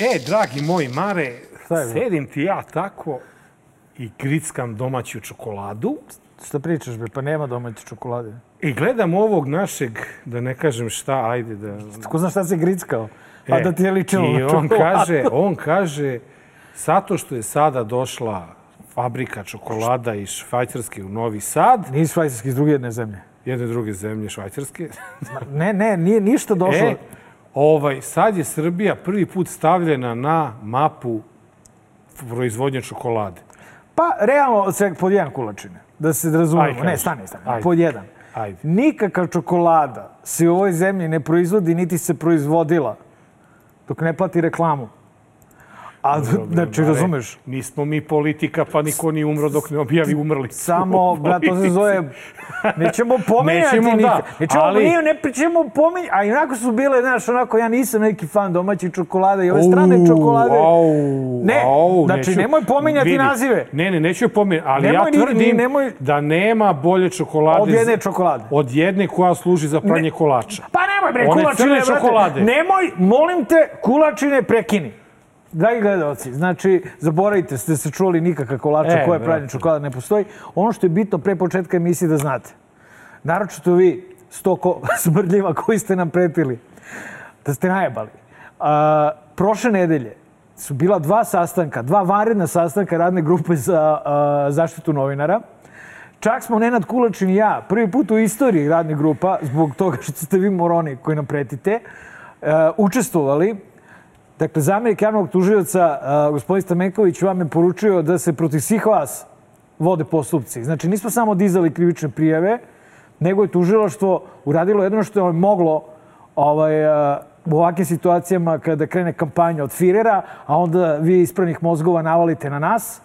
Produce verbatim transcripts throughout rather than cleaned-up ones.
E, dragi moji Mare, sedim ti ja tako i grickam domaću čokoladu. Šta pričaš, be? Pa nema domaće čokolade. I gledam ovog našeg, da ne kažem šta, ajde da... Ko zna šta se grickao? A da ti je ličilo na čokoladu. I on kaže, on kaže, zato što je sada došla fabrika čokolada iz Švajcarske u Novi Sad. Nije Švajcarske, iz druge jedne zemlje. Jedne druge zemlje, Švajcarske. Ne, ne, nije ništa došlo. E, ovaj, sad je Srbija prvi put stavljena na mapu proizvodnje čokolade. Pa, realno, pod jedan kulačine. Da se razumemo. Ne, stani, stani. Ajde. Pod jedan. Ajde. Nikakav čokolada se u ovoj zemlji ne proizvodi, niti se proizvodila dok ne plati reklamu. A, znači, razumeš? Nismo mi politika, pa niko nije umro dok ne objavi umrli. Samo, brat, to se zove... Nećemo pominjati nikad. Nećemo, nije, ne pričemo pominjati. A inako su bile, znaš, onako, ja nisam neki fan domaćih čokolade i ove strane čokolade. Ne, znači, nemoj pominjati nazive. Ne, ne, neću pominjati, ali ja tvrdim da nema bolje čokolade... Od jedne čokolade. Od jedne koja služi za pranje kolača. Pa nemoj, bre, kulačine, brate. Nemoj, molim te, kulačine prekini. Dragi gledalci, znači, zaboravite, ste se čuli nikakva kolača koja je pravljena čokolada ne postoji. Ono što je bitno pre početka emisije da znate, naročito vi, sto smrdljiva koji ste nam pretili, da ste najebali. Prošle nedelje su bila dva sastanka, dva vanredna sastanka radne grupe za zaštitu novinara. Čak smo Nenad Kulačin i ja prvi put u istoriji radnih grupa, zbog toga što ste vi moroni koji nam pretite, učestvovali. Dakle, zamjenik javnog tužioca, gospodin Stamenković, vam je poručio da se protiv svih vas vode postupci. Znači, nismo samo dizali krivične prijave, nego je tužilaštvo uradilo jedno što je moglo u ovakvim situacijama kada krene kampanja od Firera, a onda vi ispravnih mozgova navalite na nas,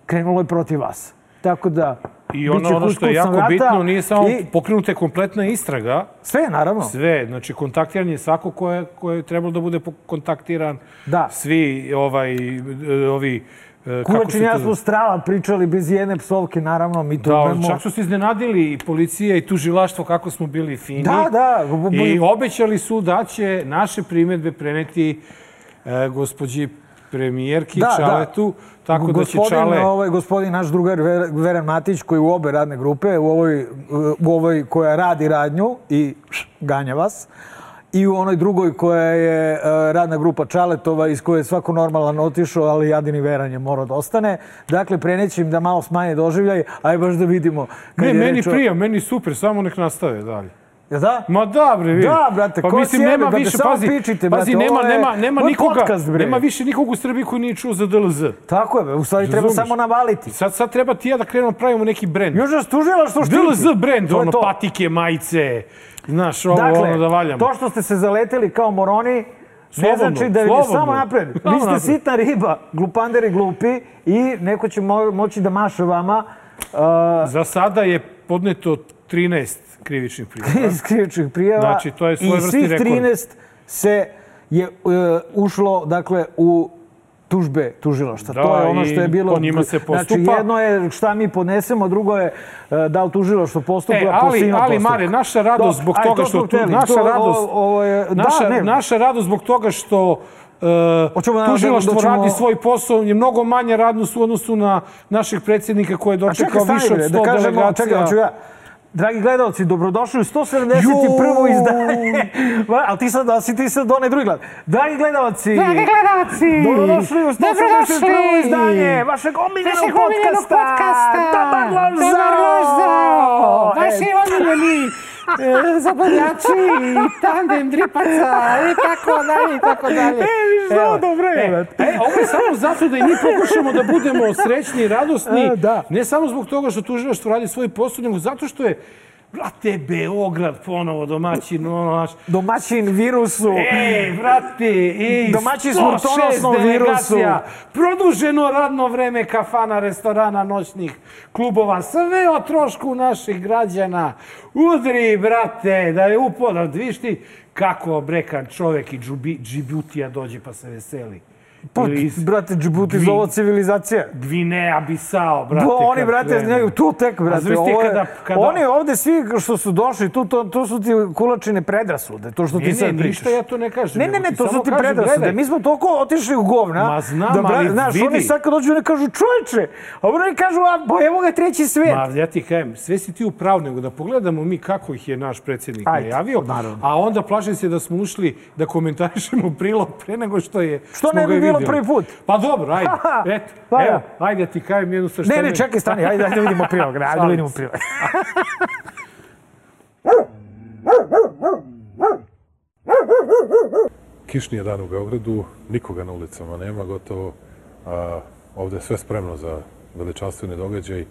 krenulo je protiv vas. Tako da... I ono, ono što je jako bitno, nije samo pokrenuta kompletna istraga. Sve, naravno. Sve, znači kontaktiran je svako ko je trebalo da bude kontaktiran. Da. Svi, ovaj, ovi... Kulačin i ja smo strava pričali bez jedne psovke, naravno, mi to imamo... Da, čak su se iznenadili i policija i tužilaštvo kako smo bili fini. Da, da. I obećali su da će naše primjedbe preneti gospođi premijerki Čaletu. Tako da će Čale... Gospodin, naš drugar Veran Matić, koji u obe radne grupe, u ovoj koja radi radnju i ganja vas, i u onoj drugoj koja je radna grupa Čaletova, iz koje je svako normalan otišao, ali Jadini Veran je morao da ostane. Dakle, preneći im da malo smanje doživljaj, aj baš da vidimo... Ne, meni prija, meni super, samo nek nastave dalje. Ja da? Ma da, bre, vidi. Da, brate, ko si jebi, brate, samo pičite, brate. Pazi, nema, nema, nema nikoga, nema više nikog u Srbiji koji nije čuo za D L Z. Tako je, u stvari treba samo navaliti. Sad, sad treba ti ja da krenemo pravimo neki brend. Još nas tužila što štiti. D L Z brend, ono, patike, majice, znaš, ovo, ono da valjamo. Dakle, to što ste se zaleteli kao moroni, ne znači da je samo napred. Vi ste sitna riba, glupanderi glupi i neko će moći da maše vama. Za sada je podneto trinaest krivičnih prijava. krivičnih prijava. Znači, to je svoj vrsti rekord. I svih trinaest se je ušlo, dakle, u tužbe tužilaštva. To je ono što je bilo... Da, i po njima se postupa. Znači, jedno je šta mi podnesemo, drugo je da li tužilaštvo postupa, po svima postupa. Ali, Mare, naša radost zbog toga što... Naša radost... Naša radost zbog toga što... tužilaštvo radi svoj posao, je mnogo manje radnost u odnosu na našeg predsjednika koji je dočekao više od sto delegacija. Dragi gledalci, dobrodošli u sto sedamdeset prvo izdanje. Ali ti sad, si ti sad onaj drugi gled. Dragi gledalci. Dragi gledalci. Dobrodošli u sto sedamdeset prvo izdanje vašeg omiljenog podcasta. Dobar loš zao. Vaši omiljeni zabavljači, tandem dripaca i tako dalje i tako dalje. E, viš što dobro je. E, ovo je samo zato da i mi pokušamo da budemo srećni i radosni. Ne samo zbog toga što tužilaštvo radi svoj posao, nego zato što je, brate, Beograd ponovo domaćin. Domaćin virusu. Ej, brate, ej, domaćin smrtonosnom virusu. Produženo radno vreme kafana, restorana, noćnih klubova. Sve o trošku naših građana. Udri, brate, da je upodao. Viš ti kako brekan čovek i Džibutija dođe pa se veseli. Pa, brate, Džibuti zove civilizacija. Gvineja, Bisao, brate. Oni, brate, tu tek, brate. Oni ovde svi što su došli, to su ti kulačine predrasude, to što ti sad pričaš. Ne, ne, ništa ja to ne kažem. Ne, ne, ne, to su ti predrasude. Mi smo toliko otišli u govna. Ma znam, ali vidi. Znaš, oni sad kad dođu, oni kažu, čovječe, a oni kažu, a evo ga treći svet. Ma, ja ti kajem, sve si ti u pravu, nego da pogledamo mi kako ih je naš predsjednik najavio, a onda plašim se da smo ušli da komentarišemo prilog pre nego što je... Što ne bi bilo prvi put? Pa dobro, ajde. Eto, evo, ajde ti kajem jednu sa što... Ne, ne, čekaj, stani, ajde da vidimo prilog. Ajde da vidimo prilog. Kišni je dan u Beogradu, nikoga na ulicama nema gotovo. Ovde je sve spremno za veličanstveni događaj.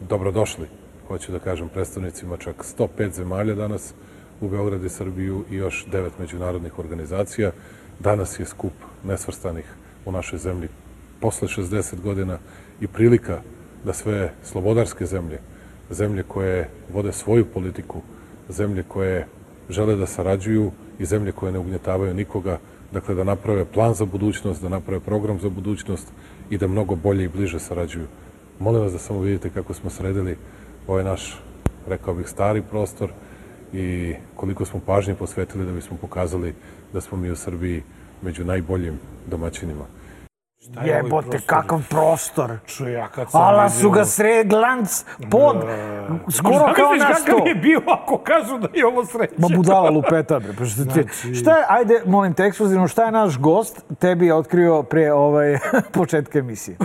Dobrodošli, hoću da kažem, predstavnicima čak sto pet zemalja danas u Beogradu i Srbiju i još devet međunarodnih organizacija. Danas je skup nesvrstanih u našoj zemlji posle šezdeset godina i prilika da sve slobodarske zemlje, zemlje koje vode svoju politiku, zemlje koje žele da sarađuju i zemlje koje ne ugnjetavaju nikoga, dakle da naprave plan za budućnost, da naprave program za budućnost i da mnogo bolje i bliže sarađuju. Molim vas da samo vidite kako smo sredili ovaj naš, rekao bih, stari prostor i koliko smo pažnje posvetili da bismo pokazali da smo mi u Srbiji među najboljim domaćinima. Jebote, kakav prostor. Čuj, kad sam Ala su ga sred glanc pod, skoro kao na sto. Kakav je bio ako kažu da je ovo sreća? Ma budala lupeta, bre. Šta je, ajde, molim te ekskluzivno, šta je naš gost tebi je otkrio pre početka emisije?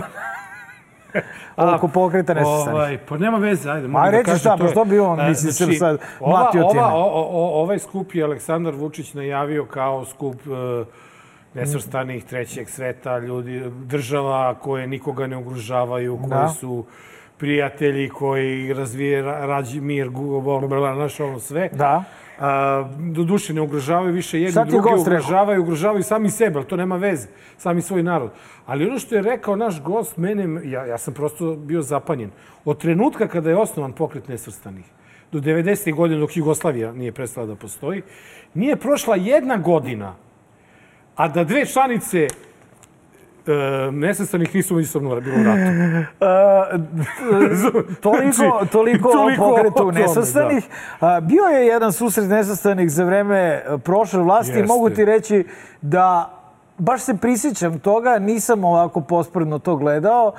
Oko pokreta nesvrstanih. Pa nema veze, ajde. A reći šta, pa što bi on, misli se sad, mlatio time? Ovaj skup je Aleksandar Vučić najavio kao skup nesvrstanih trećeg sveta, ljudi, država koje nikoga ne ugrožavaju, koji su prijatelji, koji razvije rađi mir, znaš ono sve. Da. Do duše ne ugrožavaju više jedni, drugi ugrožavaju, ugrožavaju sami sebe, ali to nema veze, sami svoj narod. Ali ono što je rekao naš gost, mene, ja sam prosto bio zapanjen. Od trenutka kada je osnovan pokret nesvrstanih, do devedesetih godina dok Jugoslavija nije prestala da postoji, nije prošla jedna godina, a da dve članice nesvrstanih nisu međusobno bilo u ratu. Toliko o pokretu nesvrstanih. Bio je jedan susret nesvrstanih za vreme prošle vlasti i mogu ti reći da baš se prisjećam toga, nisam ovako pospredno to gledao.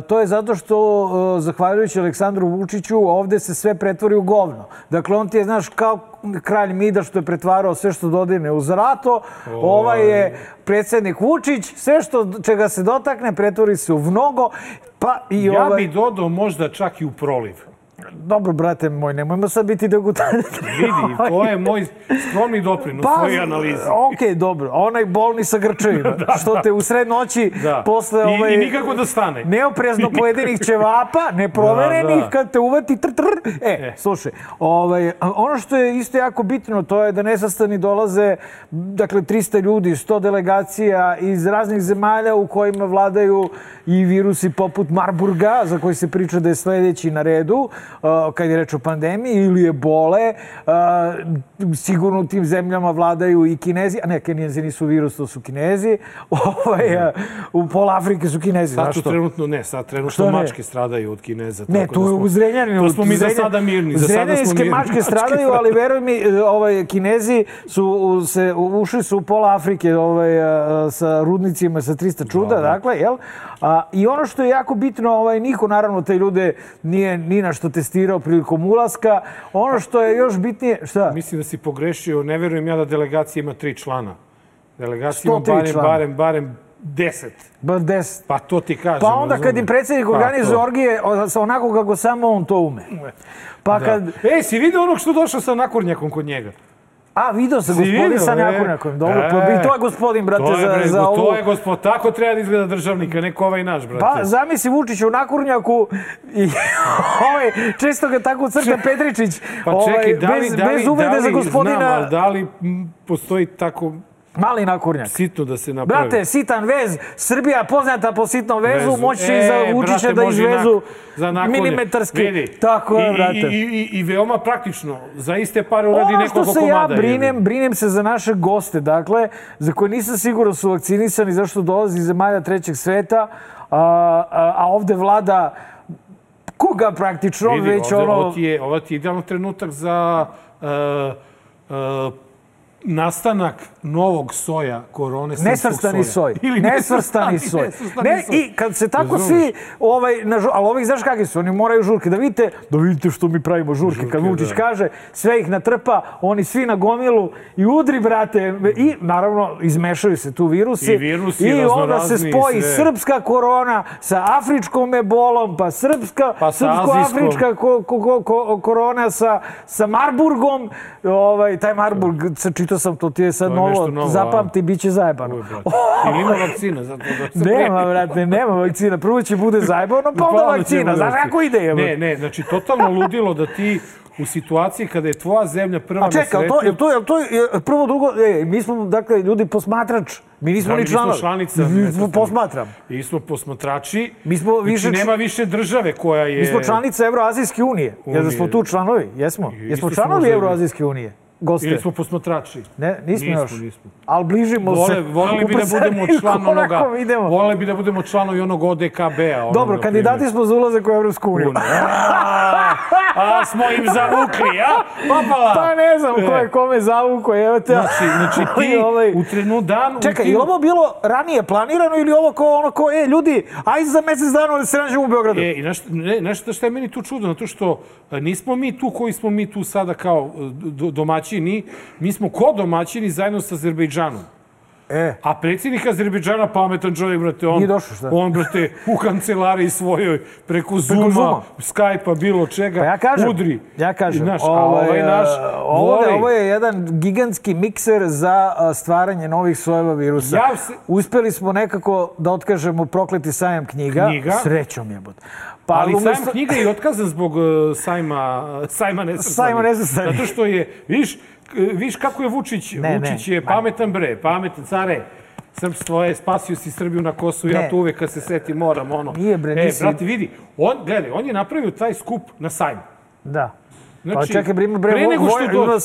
To je zato što, zahvaljujući Aleksandru Vučiću, ovde se sve pretvori u govno. Dakle, on ti je, znaš, kao kralj Mida što je pretvarao sve što dodirne u zlato. Ovaj je predsjednik Vučić, sve što čega se dotakne pretvori se u mnogo. Ja bi dodao možda čak i u proliv. Dobro, brate moj, nemojmo sad biti degutantni. Vidi, to je moj skromni doprinos svojoj analizi. Okej, dobro. Onaj bolni sa grčevima, što te u sred noći posle... I nikako da stane. Neoprezno pojedenih ćevapa, neproverenih, kad te uvati tr tr. E, slušaj, ono što je isto jako bitno, to je da nesvrstani dolaze, dakle, trista ljudi, sto delegacija iz raznih zemalja u kojima vladaju i virusi poput Marburga, za koji se priča da je sledeći na redu, kad je reč o pandemiji, ili ebole. Sigurno u tim zemljama vladaju i Kinezi, a ne, Kinezi nisu virus, to su Kinezi. U pola Afrike su Kinezi. Sad tu trenutno ne, sad trenutno mačke stradaju od Kineza. Ne, to je u Zrenjaninu. To smo mi za sada mirni. Zrenjaninske mačke stradaju, ali veruj mi, Kinezi ušli su u pola Afrike sa rudnicima, sa trista čuda, dakle, jel? I ono što je jako bitno, niko naravno te ljude nije ni na što testirao prilikom ulaska. Ono što je još bitnije... Šta? Mislim da si pogrešio. Ne verujem ja da delegacija ima tri člana. Delegacija ima barem, barem, barem deset. Bar deset. Pa to ti kažem. Pa onda kad im predsjednik organizuje orgije, onako kako samo on to ume. Pa kad... E, si vidio onog što došao sa nakurnjakom kod njega? A, vidio sam gospodin sa nakurnjakom. Dobro, pa to je gospodin, brate, za ovo. To je gospod, tako treba da izgleda državnika, neko ovaj naš, brate. Pa, zamisli Vučić u nakurnjaku i često ga tako crta Petričić. Pa čekaj, da li, bez uvrede za gospodina... Znam, ali da li postoji tako Mali nakurnjak. Sitno da se napravi. Brate, sitan vez, Srbija poznata po sitnom vezu, moći će i Vučića da izvezu milimetarski. Tako je, brate. I veoma praktično, za iste pare uradi nekoliko komada. Ono što se ja brinem, brinem se za naše goste, dakle, za koje nisam siguran su vakcinisani, zašto dolazi iz zemalja trećeg sveta, a ovde vlada koga praktično, već ono... Ovo ti je idealno trenutak za nastanak novog soja korone. Nesvrstani soj. Nesvrstani soj. I kad se tako svi, ali ovih znaš kakvi su, oni moraju žurke. Da vidite, da vidite što mi pravimo žurke. Kad Vučić kaže, sve ih natrpa, oni svi na gomilu i udri, brate. I naravno, izmešaju se tu virusi. I virusi, i onda se spoji srpska korona sa afričkom ebolom, pa srpska, srpsko-afrička korona sa Marburgom. Taj Marburg, čitao sam to, ti je sad novo, zapamti, bit će zajebano. Ili ima vakcina? Nema, brate, nema vakcina. Prvo će bude zajebano, pa onda vakcina. Znaš kako ide? Ne, ne, znači, totalno ludilo da ti u situaciji kada je tvoja zemlja prva na sretu... A čekaj, je to prvo, drugo... Mi smo, dakle, ljudi posmatrač. Mi nismo ni članovi. Mi smo članica. Posmatram. Mi smo posmatrači. Mi smo više... Znači, nema više države koja je... Mi smo članica Evroazijske unije. Jer da smo tu članovi, jesmo. Jesmo članovi Evroazijske unije. Goste. Ili smo posmatrači? Ne, nismo još. Ali bližimo se. Voleli bi da budemo član onoga... Voleli bi da budemo članovi onog O D K B-a. Dobro, kandidati smo za ulazak u Evropsku uniju. A, smo im zavukli, a? Popala! Pa ne znam ko je kome zavukao, evo te. Znači, ti u trenu danu... Čekaj, je ovo bilo ranije planirano ili ovo kao ono kao, e, ljudi, ajde za mesec dana da se nađemo u Beogradu? E, i nešto što je meni tu čudno, zato što nismo mi tu koji smo mi tu sada kao domaćini, mi smo ko domaćini zajedno sa Azerbejdžanom. E. A predsjednik Azerbejdžana, pametan čovjek, brate, on, on, brate, u kancelariji svojoj, preko Zooma, Skype-a, bilo čega, pa ja kažem, udri. Ja kažem, naš, ovaj, ovaj naš, ovo, ovo je jedan gigantski mikser za stvaranje novih sojeva virusa. Ja se... Uspeli smo nekako da otkažemo prokleti sajam knjiga. Knjiga. Srećom jebot. Pa, ali umesto... sajam knjiga je otkazan zbog uh, sajma, sajma nesvrstanih. Sajma nesvrstanih. Zato što je, vidiš, viš kako je Vučić. Ne, Vučić ne, je pametan bre, pametan care. Srpstvo je, spasio si Srbiju na Kosovu, ja tu uvek kad se seti moram, ono. Nije bre, nisi... E, brate, vidi, on, gledaj, on je napravio taj skup na sajmu. Da. Znači, pa čekaj, bre, bre, ima,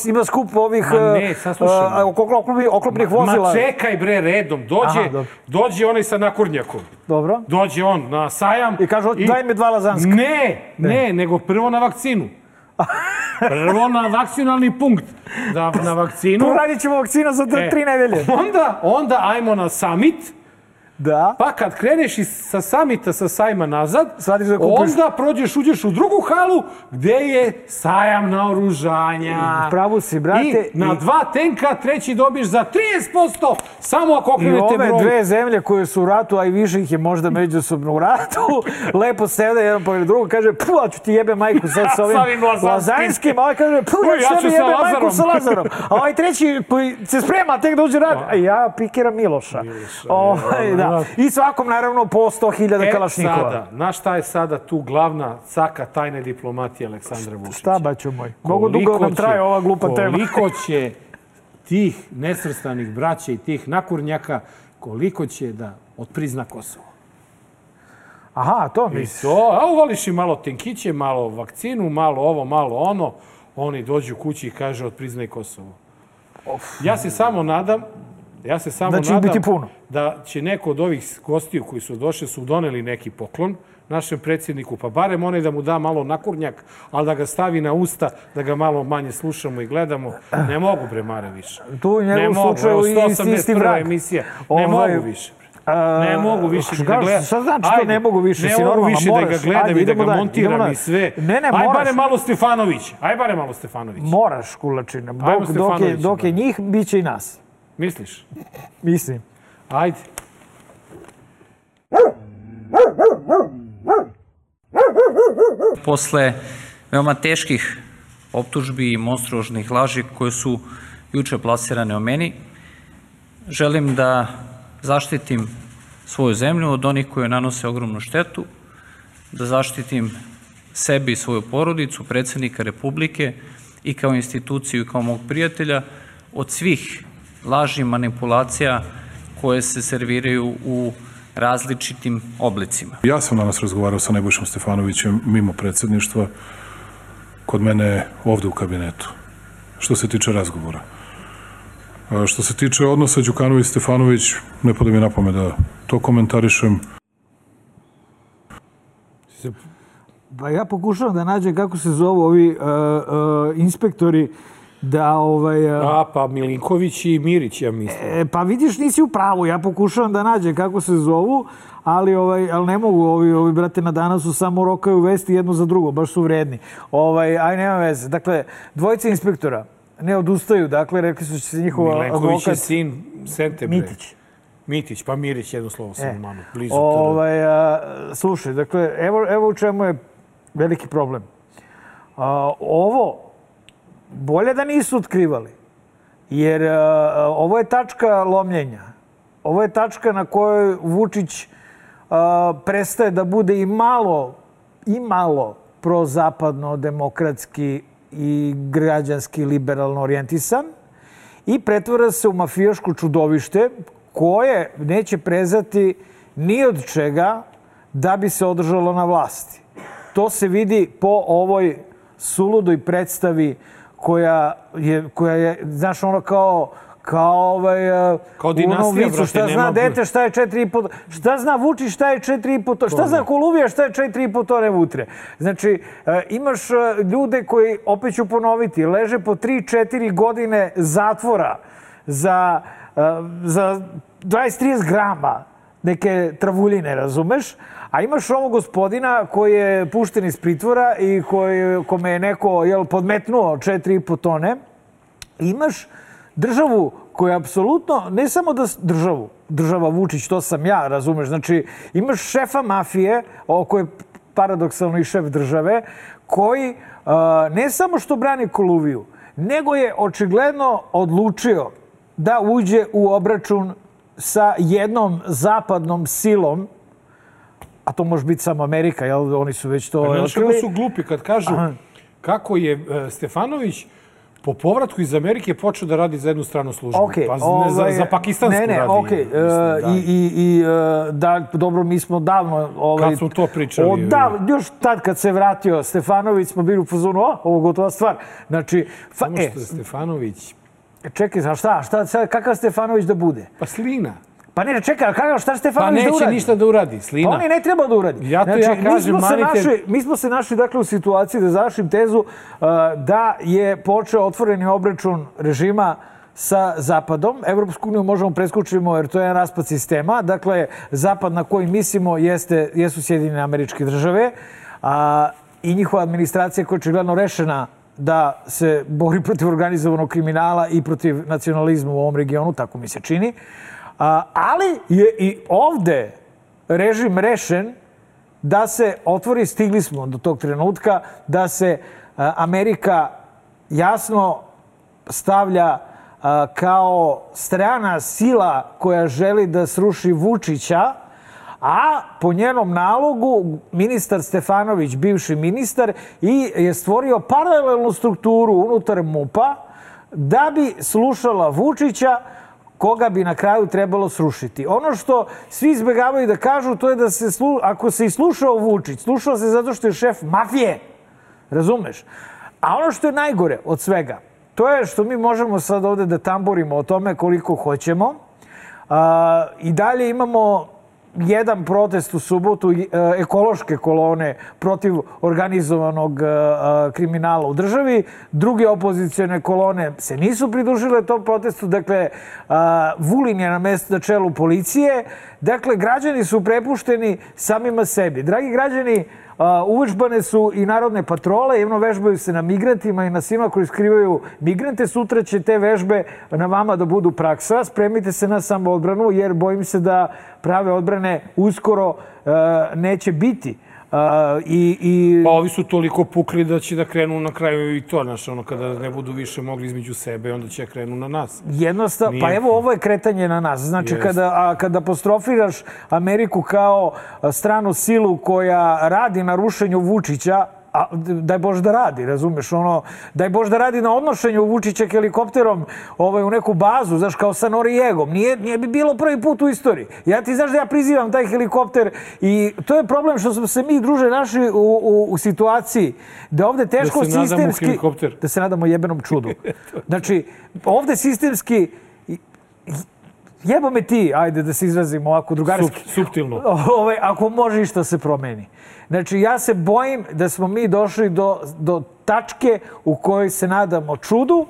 ima skup ovih ne, uh, oklopnih vozila. Ma čekaj, bre, redom. Dođe, Aha, dođe onaj sa nakurnjakom. Dobro. Dođe on na sajam. I kaže, i... daj mi dva lazanska. Ne, ne, ne, nego prvo na vakcinu. Prvo na vakcinalni punkt. Da, na vakcinu. Poradit ćemo vakcina za e, tri nedelje. Onda, onda ajmo na summit. Da. Pa kad kreneš sa samita, sa sajma nazad, onda prođeš, uđeš u drugu halu gde je sajam naoružanja. Pravo si, brate. I na dva tenka treći dobiješ za trideset posto samo ako okrenete broj. I ove dve zemlje koje su u ratu, a i više ih je možda međusobno u ratu, lepo sede jedan pored drugog, kaže, puh, ću ti jebe majku sad sa ovim lazanskim, a ovaj kaže, puh, ja ću tebi jebe majku sa Lazarom. A ovaj treći koji se sprema tek da uđe rad, a ja pikiram Miloša. Da. I svakom, naravno, po sto hiljada kalašnikova. E, sada, znaš šta je sada tu glavna caka tajne diplomatije Aleksandra Vučića? Šta, baćo moj? Mnogo dugo nam traje ova glupa tema. Koliko će tih nesvrstanih braća i tih nakurnjaka, koliko će da otprizna Kosovo? Aha, to misliš. I to, a uvališ i malo tenkiće, malo vakcinu, malo ovo, malo ono. Oni dođu kući i kaže otpriznaj Kosovo. Ja se samo nadam Ja se samo nadam da će neko od ovih gostiju koji su došli su doneli neki poklon našem predsjedniku, pa barem onaj da mu da malo nakurnjak, ali da ga stavi na usta, da ga malo manje slušamo i gledamo. Ne mogu, bre, Mare, više. Tu u njegovom slučaju i isti vrag. Ne mogu više. Ne mogu više da ga gledam. Šta znači to ne mogu više? Ne mogu više da ga gledam i da ga montiram i sve. Aj bare malo Stefanović. Aj bare malo Stefanović. Moraš, kulačine. Dok je njih, bit će i nas. Misliš? Mislim. Ajde. Posle veoma teških optužbi i monstruožnih laži koje su juče plasirane o meni, želim da zaštitim svoju zemlju od onih koji nanose ogromnu štetu, da zaštitim sebi i svoju porodicu, predsjednika Republike i kao instituciju i kao mog prijatelja od svih laži i manipulacija koje se serviraju u različitim oblicima. Ja sam danas razgovarao sa Nebojšom Stefanovićem mimo predsjedništva, kod mene ovde u kabinetu, što se tiče razgovora. Što se tiče odnosa Đukanović-Stefanović, ne pada mi na pamet da to komentarišem. Pa ja pokušavam da nađem kako se zovu ovi uh, uh, inspektori da ovaj... Uh, A, pa Milinković i Mirić, ja mislim. E, pa vidiš, nisi u pravu. Ja pokušavam da nađem kako se zovu, ali, ovaj, ali ne mogu. Ovi, ovi brate na danasu samo rokaju vesti jedno za drugo. Baš su vredni. Ovaj, aj, nema veze. Dakle, dvojica inspektora ne odustaju. Dakle, rekli su će se njihova advokat... Milenković je sin Sente, bre. Mitić. Mitić, pa Mirić, jedno slovo sam e, malo, blizu. Ovaj, a, slušaj, dakle, evo, evo u čemu je veliki problem. A, ovo, bolje da nisu otkrivali, jer a, ovo je tačka lomljenja. Ovo je tačka na kojoj Vučić a, prestaje da bude i malo, i malo prozapadno, demokratski i građanski liberalno orijentisan i pretvara se u mafijaško čudovište koje neće prezati ni od čega da bi se održalo na vlasti. To se vidi po ovoj suludoj predstavi koja je, koja je znaš, ono kao, kao ovaj... Kao dinastija, brate, šta zna dete, šta je četiri i po... Šta zna Vučić, šta je četiri i po... Šta zna Koluvija, šta je četiri i po tone vutre? Znači, imaš ljude koji, opet ću ponoviti, leže po tri četiri godine zatvora za, za dvadeset trideset grama neke travuljine, razumeš? A imaš ovog gospodina koji je pušten iz pritvora i koji, kome je neko jel, podmetnuo četiri i po tone. Imaš državu koja je apsolutno, ne samo da državu, država Vučić, to sam ja, razumeš? Znači, imaš šefa mafije, koji je paradoksalno i šef države, koji uh, ne samo što brani Koluviju, nego je očigledno odlučio da uđe u obračun sa jednom zapadnom silom, a to može biti samo Amerika, jel? Oni su već to... Znaš kako su glupi kad kažu Aha. kako je Stefanović po povratku iz Amerike počeo da radi za jednu stranu službu. Okay, pa ovaj, za, za pakistansku ne, ne, radi. Okay. Mislim, uh, I, i, i uh, da, dobro, mi smo davno... Ovaj, kad smo to pričali. Od, da, još tad kad se vratio Stefanović smo bili u fazonu, o, ovo gotova stvar. Znači... Fa, Samo što e, je Stefanović... Čekaj, a šta, šta, šta, kakav Stefanović da bude? Pa slina. Pa ne, čekaj, kakav, šta Stefanović da uradi? Pa neće ništa da uradi, slina. Pa on i ne treba da uradi. Ja to znači, ja kažem, mi smo, manite... našli, mi smo se našli dakle, u situaciji da završim tezu uh, da je počeo otvoreni obračun režima sa Zapadom. Evropsku uniju možemo preskočimo jer to je jedan raspad sistema. Dakle, Zapad na koji mislimo jeste, jesu Sjedinjene Američke Države a, i njihova administracija koja je očigledno rešena da se bori protiv organizovanog kriminala i protiv nacionalizma u ovom regionu, tako mi se čini. A, ali je i ovde režim rešen da se otvori, stigli smo do tog trenutka, da se a, Amerika jasno stavlja a, kao strana sila koja želi da sruši Vučića, a po njenom nalogu ministar Stefanović, bivši ministar, i je stvorio paralelnu strukturu unutar MUP-a da bi slušala Vučića, koga bi na kraju trebalo srušiti. Ono što svi izbjegavaju da kažu, to je da se, slu... ako se i slušao Vučić, slušao se zato što je šef mafije. Razumeš? A ono što je najgore od svega, to je što mi možemo sad ovde da tamborimo o tome koliko hoćemo. A, i dalje imamo jedan protest u subotu, ekološke kolone protiv organizovanog kriminala u državi. Druge opozicijone kolone se nisu pridružile tom protestu. Dakle, Vulin je na mestu na čelu policije. Dakle, građani su prepušteni samima sebi. Dragi građani, uvežbane su i narodne patrole, jedno vežbaju se na migrantima i na svima koji skrivaju migrante. Sutra će te vežbe na vama da budu praksa. Spremite se na samoodbranu jer bojim se da prave odbrane uskoro neće biti. Uh, i, i... Pa ovi su toliko pukli da će da krenu na kraju i to, znaš, ono, kada ne budu više mogli između sebe, onda će krenu na nas. Jednostavno, Nije... pa evo ovo je kretanje na nas. Znači, yes. kada, a, kada apostrofiraš Ameriku kao stranu silu koja radi na rušenju Vučića, a daj Bože da radi, razumeš, ono, daj Bože da radi na odnošenju Vučića helikopterom ovaj, u neku bazu, znaš, kao sa Norijegom. Nije, nije bi bilo prvi put u istoriji. Ja ti znaš da ja prizivam taj helikopter i to je problem što smo se mi, druže, našli u, u, u situaciji da ovde teško sistemski... Da se sistemski, nadamo helikopter. Da se nadamo jebenom čudu. Znači, ovde sistemski... Jebo me ti, ajde da se izrazimo ovako drugarski. Sup, suptilno. Ove, ako može što se promeni. Znači, ja se bojim da smo mi došli do, do tačke u kojoj se nadamo čudu,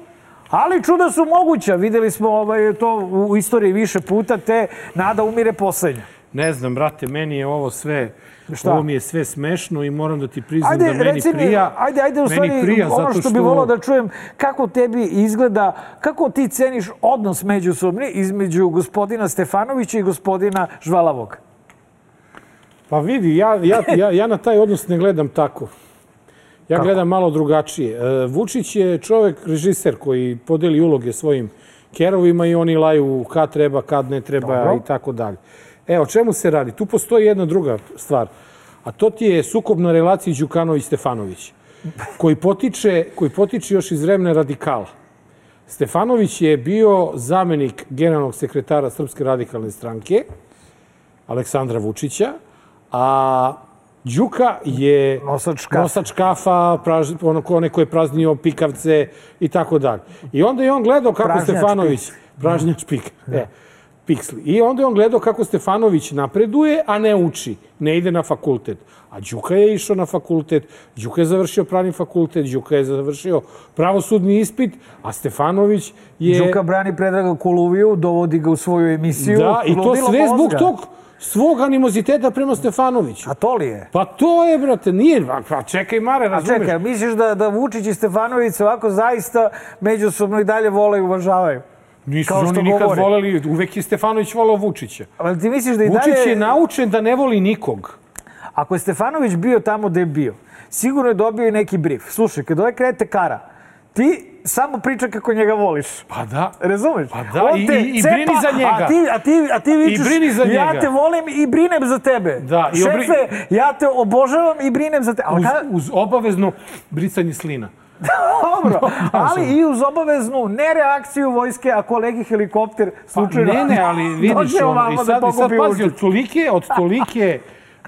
ali čuda su moguća. Videli smo ovaj, to u istoriji više puta, te nada umire poslednja. Ne znam, brate, meni je ovo sve... Šta? Ovo mi je sve smešno i moram da ti priznam ajde, da meni prija. Ajde, ajde, u stvari, prija, ono što, što bi volao da čujem, kako tebi izgleda, kako ti ceniš odnos međusobni između gospodina Stefanovića i gospodina Žvalavog? Pa vidi, ja, ja, ja, ja na taj odnos ne gledam tako. Ja kako? Gledam malo drugačije. Vučić je čovek, režiser koji podeli uloge svojim kerovima i oni laju kad treba, kad ne treba. Dobro. I tako dalje. E, o čemu se radi? Tu postoji jedna druga stvar, a to ti je sukob na relaciji Đukanović-Stefanović, koji potiče, koji potiče još iz vremena radikala. Stefanović je bio zamenik generalnog sekretara Srpske radikalne stranke, Aleksandra Vučića, a Đuka je nosač kafa, nosač kafa praž, ono, onaj koji je praznio pikavce i tako dalje. I onda je on gledao kako pražnjač Stefanović... Pik. Pražnjač pik. E. Piksli. I onda je on gledao kako Stefanović napreduje, a ne uči. Ne ide na fakultet. A Đuka je išao na fakultet, Đuka je završio pravni fakultet, Đuka je završio pravosudni ispit, a Stefanović je... Đuka brani Predraga Koluviju, dovodi ga u svoju emisiju. Da, i to sve zbog tog svog animoziteta prema Stefanoviću. A to li je? Pa to je, brate, nije. Pa čekaj, Mare, razumeš? A čekaj, misliš da, da Vučić i Stefanović ovako zaista međusobno i dalje vole i uvažavaju? Nisu oni nikad govore. Voleli, uvek je Stefanović volao Vučića. Ali ti misliš da i Vučić dalje... je naučen da ne voli nikog. Ako je Stefanović bio tamo gde je bio, sigurno je dobio i neki brief. Slušaj, kad ovaj krete kara, ti samo priča kako njega voliš. Pa da. Razumeš? Pa da, i, i, i brini za njega. A ti, a ti, a ti vičeš, I brini za njega. Ja te volim i brinem za tebe. Da, i obri... Šefe, ja te obožavam i brinem za tebe. Uz, uz obavezno brisanje slina. Dobro, ali i uz obaveznu nereakciju vojske, a kolegi helikopter slučajno... Pa ne, ne, ali vidiš, on, i sad, i sad pazi, od tolike, od tolike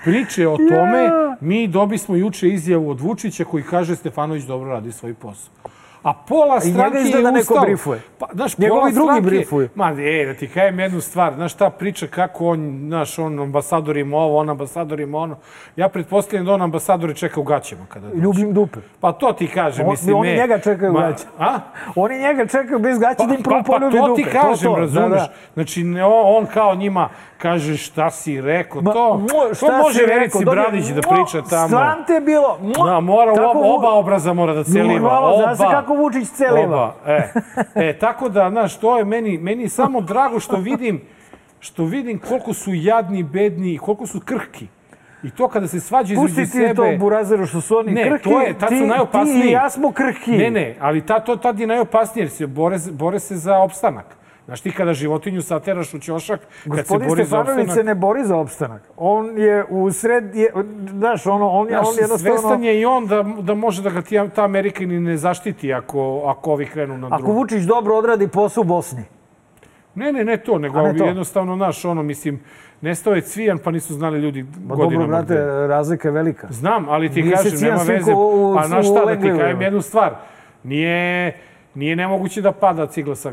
priče o tome, mi dobismo juče izjavu od Vučića koji kaže Stefanović dobro radi svoj posao. A pola stranke je ustalo... I njega neko brifuje. Pa, znaš, njegovi drugi brifuju. Ma, e, da ti kajem jednu stvar. Znaš, ta priča kako on, znaš, on ambasador ima ovo, on ambasador ima ono. Ja pretpostavljam da on ambasadori čeka u gaćama. Kada ljubim dupe. Pa to ti kažem, on, mislim, oni me... njega čekaju u gaćama. A? Oni njega čekaju bez gaća pa, da im prvo pa, poljubi dupe. Pa to ti kažem, to, to. razumeš. Da, da. Znači, ne, on kao njima kaže šta si rekao, Ma, to, šta to može Verici Bradić da priča tamo. Stran te je bilo. Da, mora, oba, oba obraza mora da celiva. Oba. Zna se kako Vučić celiva. E, e, tako da, znaš, to je meni, meni samo drago što vidim, što vidim koliko su jadni, bedni i koliko su krhki. I to kada se svađa između sebe... Pusti ti to, Burazeru, što su oni ne, krhki, to je, tad su najopasniji. Ti i ja smo krhki. Ne, ne, ali ta, to tad je najopasnije jer se bore, bore se za opstanak. Znaš ti kada životinju sateraš u ćošak, kad se bori za opstanak... Gospodin Stefanović se ne bori za opstanak. On je u sred... Je, znaš, ono, on je, znaš, on jednostavno... Svestan je i on da, da može da ga ti, ta Amerika ni ne zaštiti ako, ako ovi krenu na drugu. Ako Vučić dobro odradi posao u Bosni. Ne, ne, ne to, nego ne to. Jednostavno, naš, ono, mislim, nestao je Cvijan, pa nisu znali ljudi Ma godinama. Dobro, brate, gde. Razlika je velika. Znam, ali ti nije kažem, nema veze. U, pa znaš šta, da ti kažem jednu stvar. Nije, nije nemoguće da pada cigla sa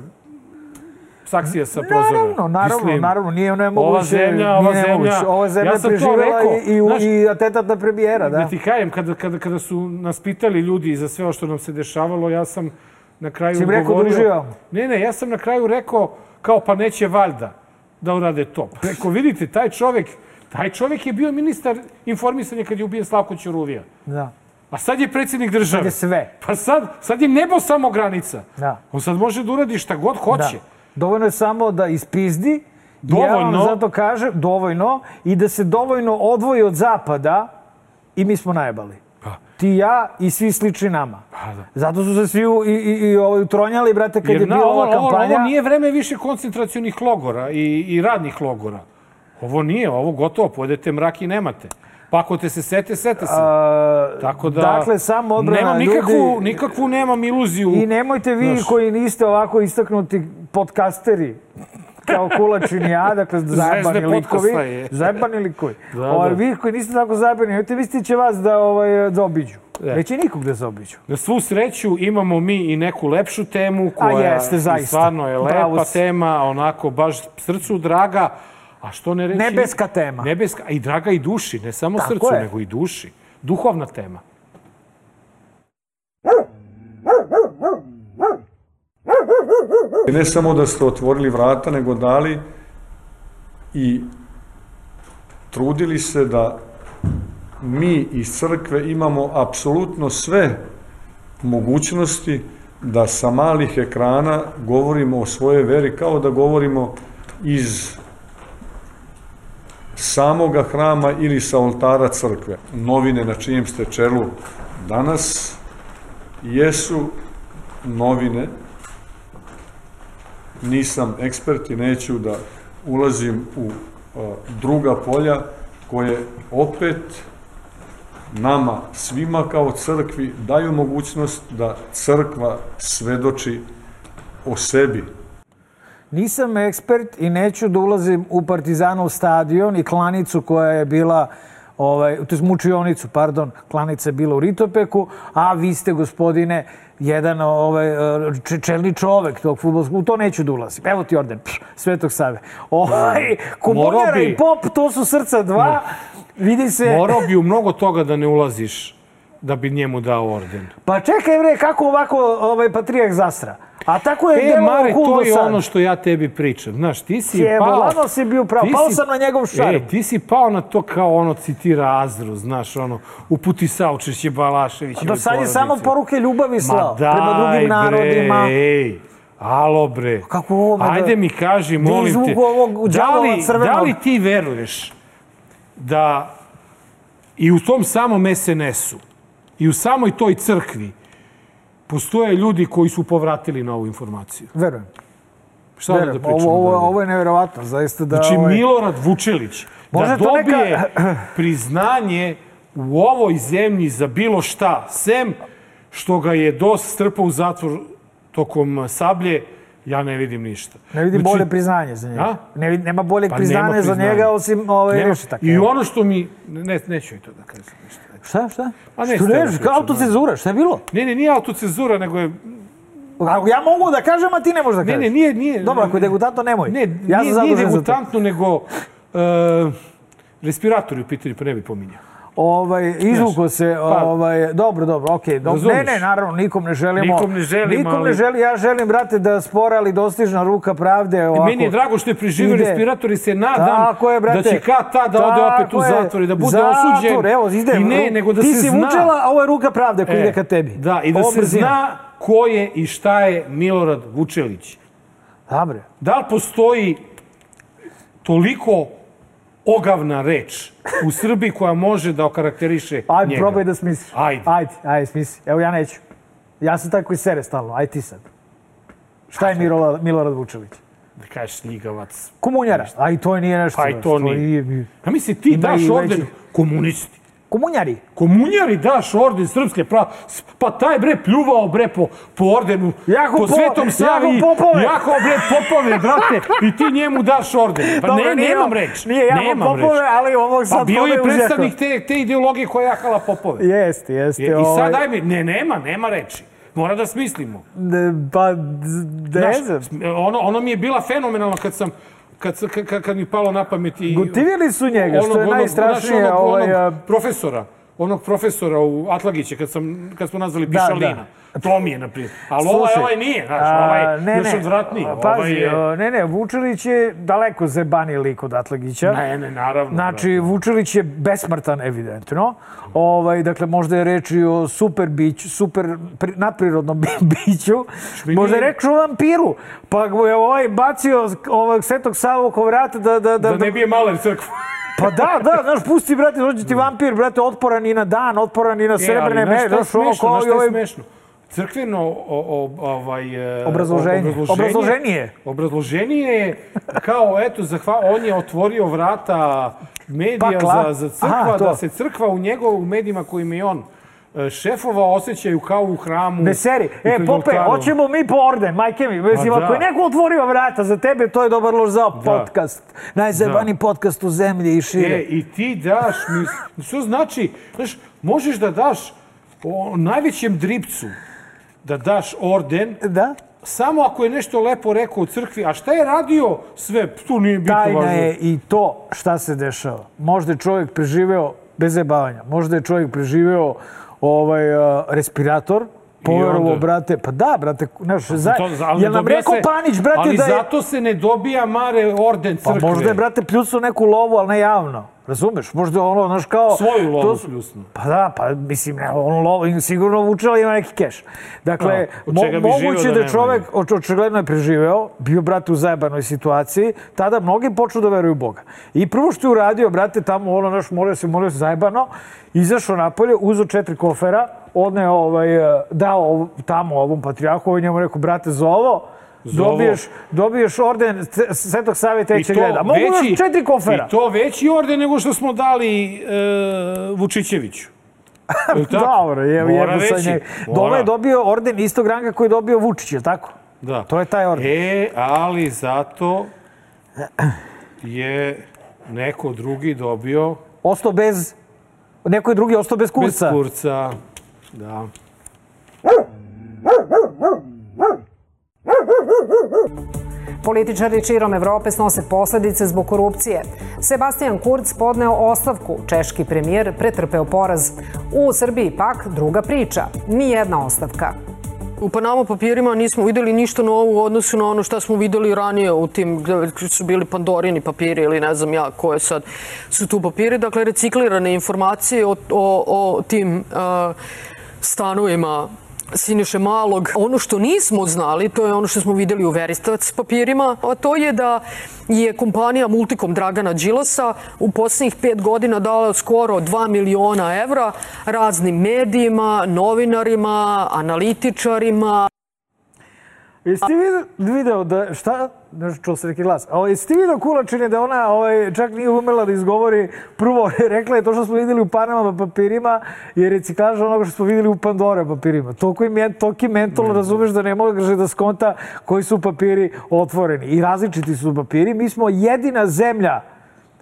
saksija sa prozora. Naravno, naravno, mislim, naravno, nije nemoguće. Ova zemlja, ova zemlja, ova zemlja ja preživjela i, znaš, i atentat na premijera, da. Da ti kajem, kada, kada, kada su nas pitali ljudi za sve o što nam se dešavalo, ja sam na kraju si govorio... rekao da uživam? Ne, ne, ja sam na kraju rekao, kao pa neće valjda da urade to. Rekao, vidite, taj čovjek, taj čovjek je bio ministar informisanja kad je ubijen Slavko Ćuruvija. Da. A sad je predsjednik države. Sad je sve. Pa sad, sad je nebo samo granica. Da. On sad može da uradi šta god hoće. Da. Dovoljno je samo da ispizdi, dovoljno. Ja vam zato kažem, dovoljno, i da se dovoljno odvoji od zapada i mi smo najebali. Pa. Ti, ja i svi slični nama. Pa, da. Zato su se svi u, i, i, i ovaj, utronjali, brate, kad Jer, je bila ova ovo, kampanja. Ovo nije vreme više koncentracionih logora i, i radnih logora. Ovo nije, ovo gotovo, pojedete mrak i nemate. Pa ako te se sete, sete se. Tako da, dakle, samo odbrana ljudi... Nikakvu, nikakvu nemam iluziju. I nemojte vi znaš, koji niste ovako istaknuti podcasteri, kao Kulačin i ja, dakle, zajebani likovi. Zajebani likovi. Da, ovaj, da. Vi koji niste tako zajebani, nemojte misliti će vas da, ovaj, da obiđu. Neće nikog da se obiđu. Na svu sreću imamo mi i neku lepšu temu, koja jeste, stvarno je lepa Bravo. tema, onako baš srcu draga. A što ne reći? Nebeska tema. Nebeska, i draga i duši, ne samo tako srcu, je. nego i duši. Duhovna tema. Ne samo da ste otvorili vrata, nego dali i trudili se da mi iz crkve imamo apsolutno sve mogućnosti da sa malih ekrana govorimo o svojoj veri kao da govorimo iz samoga hrama ili sa oltara crkve. Novine na čijem ste čelu danas jesu novine. Nisam ekspert i neću da ulazim u druga polja koje opet nama svima kao crkvi daju mogućnost da crkva svedoči o sebi. Nisam ekspert i neću da ulazim u Partizanov stadion i klanicu koja je bila, ovaj, to je mučionicu, pardon, klanica je bila u Ritopeku, a vi ste, gospodine, jedan ovaj, čelni čovek tog fudbalskog, u to neću da ulazim. Evo ti orden, pš, Svetog Save. Ovaj, Komunjara i Pop, to su srca dva, vidi se... Morao bi u mnogo toga da ne ulaziš da bi njemu dao orden. Pa čekaj, bre, kako ovako ovaj, Patrijak zasra? A tako je e, delo Mare, cool to je sad. ono što ja tebi pričam. Znaš, ti si Jebo, pao... Lano si bio pravo, pao sam na njegov šarm. E, ti si pao na to kao ono citira Azru, znaš, ono, uputi saučešće Balašević. Do sad je samo poruke ljubavi slao prema drugim narodima. Bre, ej, alo bre. Kako ovo? Ajde mi kaži, molim te, da li, da li ti veruješ da i u tom samom es en esu i u samoj toj crkvi postoje ljudi koji su povratili na ovu informaciju? Verujem. Šta Verujem. da pričamo? Ovo, ovo, ovo je nevjerovatno, zaista da... Znači, ovaj... Milorad Vučelić da dobije neka... priznanje u ovoj zemlji za bilo šta, sem što ga je dos strpao u zatvor tokom Sablje, ja ne vidim ništa. Ne vidim znači, bolje priznanje za njega. Ne vidim, nema boljeg pa priznanja nema za njega osim ovaj, Rešetak. I ono što mi... Ne, neću i to da kažem ništa. Šta, šta? A ne, što reći, kao autocenzura, šta je bilo? Ne, ne, nije autocenzura, nego je... Ja mogu da kažem, a ti ne možeš da kažeš. Ne, ne, nije... nije dobro, ako je degutantno, nemoj. Ne, ja nije, nije degutantno, nego uh, respiratori u pitanju, pa ne bi pominjao. Ovaj, izvuko se, pa, ovaj, dobro, dobro, okej. Okay, ne, ne, naravno, nikom ne želimo. Nikom ne želim, nikom ali... ne želim, ja želim, brate, da spora, ali dostižna ruka pravde. Ovako, meni je drago što je preživio respirator i se nadam je, brate, da će kad ta da ode opet u zatvor i da bude zatvor, osuđen. Evo, ide, I ne, nego da ti se si zna. Vučela, a ovo je ruka pravde koja e, ide ka tebi. Da, i da ovo se brzina. Zna ko je i šta je Milorad Vučelić. Dobre. Da li postoji toliko ogavna reč u Srbiji koja može da okarakteriše njega? Ajde, probaj da smisliš. Ajde. Ajde, ajde, smisli. Evo, ja neću. Ja sam taj koji sere stalno. Ajde ti sad. Šta je Milorad, Milorad Vučelić? Da kažeš ljigavac. Komunjara. A i to nije nešto. Pa i to nije. A misli, ti daš orden komunisti. Komunjari. Komunjari daš orden srpske prava. Pa taj bre pljuvao bre po, po ordenu, jako po Svetom Savi. Jako bre popove, brate. I ti njemu daš orden. Pa dobre, ne, nije, nemam reč. Nije jako nemam popove, reč. ali ovog sad pa bio je predstavnik te, te ideologije koja je jahala popove. Jeste, jeste. I ovaj... sad daj mi, ne, nema, nema reči. Mora da smislimo. De, pa, ne znam. Ono, ono mi je bila fenomenalno kad sam Kad, kad, kad mi palo na pamet i... Gotivili su njega, što je najstrašnije. Onog, ovaj, onog profesora, onog profesora u Atlagiće, kad, sam, kad smo nazvali Pišalina. Da, da. To mi je, naprijed. Ali ovaj, ovaj nije, znaš, ovaj ne, još odvratniji. Pazi, ovaj je... ne, ne, Vučelić je daleko zebaniji lik od Atlagića. Ne, ne, naravno. Znači, naravno. Vučelić je besmrtan, evidentno. Ovaj, dakle, možda je reč i o super biću, super pri, nadprirodnom biću. Šminije. Možda je reč o vampiru. Pa je ovaj bacio ovog Svetog Savu oko vrata da... Da, da, da ne bije maler crkvu. Pa da, da, znaš, pusti, brate, dođe ti vampir, brate, otporan i na dan, otporan i na srebrne meje. Znaš, šta je smešno, znaš šta je smešno? crkveno ovaj, obrazloženje. Obrazloženije. Obrazloženije je kao, eto, on je otvorio vrata medija za, za crkva, Aha, da se crkva u njegovim medijima kojim je on šefova osjećaju kao u hramu. Ne seri. E, Pope, hoćemo mi po orden, majke mi. Mislim, ako je neko otvorio vrata za tebe, to je dobar loš za podcast. Najzajebaniji podcast u zemlji i šire. E, i ti daš, što znači, znaš, možeš da daš o najvećem dripcu, da daš orden, da? Samo ako je nešto lepo rekao u crkvi, a šta je radio sve, tu nije bitno važno. Tajna je i to šta se dešava. Možda je čovjek preživeo, bez zajebavanja, možda je čovjek preživeo ovaj, uh, respirator, poverovo, brate, pa da, brate, znaš, za, jel nam rekao se, Panić, brate, ali da je... Ali zato se ne dobija, Mare, orden crkve. Pa možda je, brate, pljucao neku lovu, ali ne javno. Razumeš? Možda ono, znaš, kao... Svoju lovu to, pljusno. Pa da, pa mislim, ne, ono lovu, sigurno vučela ima neki keš. Dakle, no, mo, moguće da je čovek, očigledno je preživeo, bio, brate, u zajebanoj situaciji, tada mnogi počnu da veruju u Boga. I prvo što je uradio, brate, tamo, ono, znaš, molio se, molio se zajebano, izašao napolje, uzeo četiri kofera, odneo, ovaj, dao tamo ovom patrijarhu, ovaj njemu rekao, brate, za ovo, Dobiješ, dobiješ orden Svetog Save Trećeg reda. Mogu još četiri kofera. I to veći orden nego što smo dali e, Vučićeviću. Dobro, je, je sa njeg. Dole je dobio orden istog ranga koji je dobio Vučić, je tako? Da. To je taj orden. E, ali zato je neko drugi dobio... Ostao bez... Neko je drugi ostao bez kurca. Bez kurca, da. Političari širom Evrope snose posledice zbog korupcije. Sebastian Kurz podneo ostavku, češki premijer pretrpeo poraz. U Srbiji pak druga priča, nijedna ostavka. U Panama papirima nismo videli ništa novo u odnosu na ono što smo videli ranije u tim, gdje su bili Pandorini papiri ili ne znam ja koje sad su tu papiri. Dakle, reciklirane informacije o, o, o tim uh, stanovima Siniše Malog. Ono što nismo znali, to je ono što smo videli u Veristac papirima, a to je da je kompanija Multicom Dragana Đilasa u posljednjih pet godina dala skoro dva miliona evra raznim medijima, novinarima, analitičarima. Jesi ti video da, šta? Nešto čuo se neki glas. O, jesi ti video Kulačine da ona ovaj, čak nije umela da izgovori prvo, rekla je to što smo vidjeli u Panama papirima je reciklaža onoga što smo vidjeli u Pandora papirima. Toki mentol razumeš da ne može da skonta koji su papiri otvoreni. I različiti su papiri. Mi smo jedina zemlja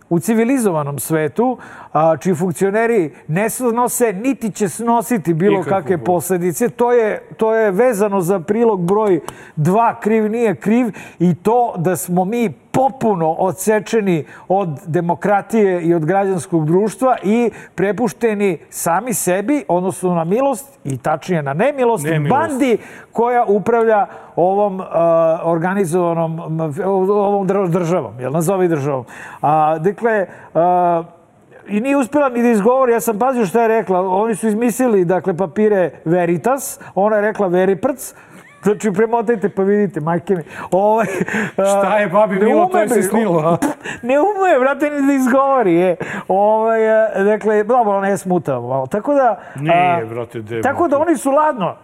u civilizovanom svetu, a, čiji funkcioneri ne snose, niti će snositi bilo kakve posljedice. To je, to je vezano za prilog broj dva, kriv nije kriv, i to da smo mi popuno odsečeni od demokratije i od građanskog društva i prepušteni sami sebi, odnosno na milost i tačnije na nemilost, nemilost. bandi koja upravlja ovom uh, organizovanom, ovom državom, jel nazovi državom. A, dakle, uh, i nije uspjela ni da izgovori, ja sam pazio što je rekla, oni su izmislili, dakle, papire Veritas, ona je rekla Veriprc. Znači, premotajte pa vidite, majke mi. Ovaj, šta je, babi Milo, to je se snilo? Ne umuje, brate, ni da izgovori. Je. Ovaj, dakle, dobro, ona je smutala malo. Tako da... Nije, brate, demo. Tako da oni su ladno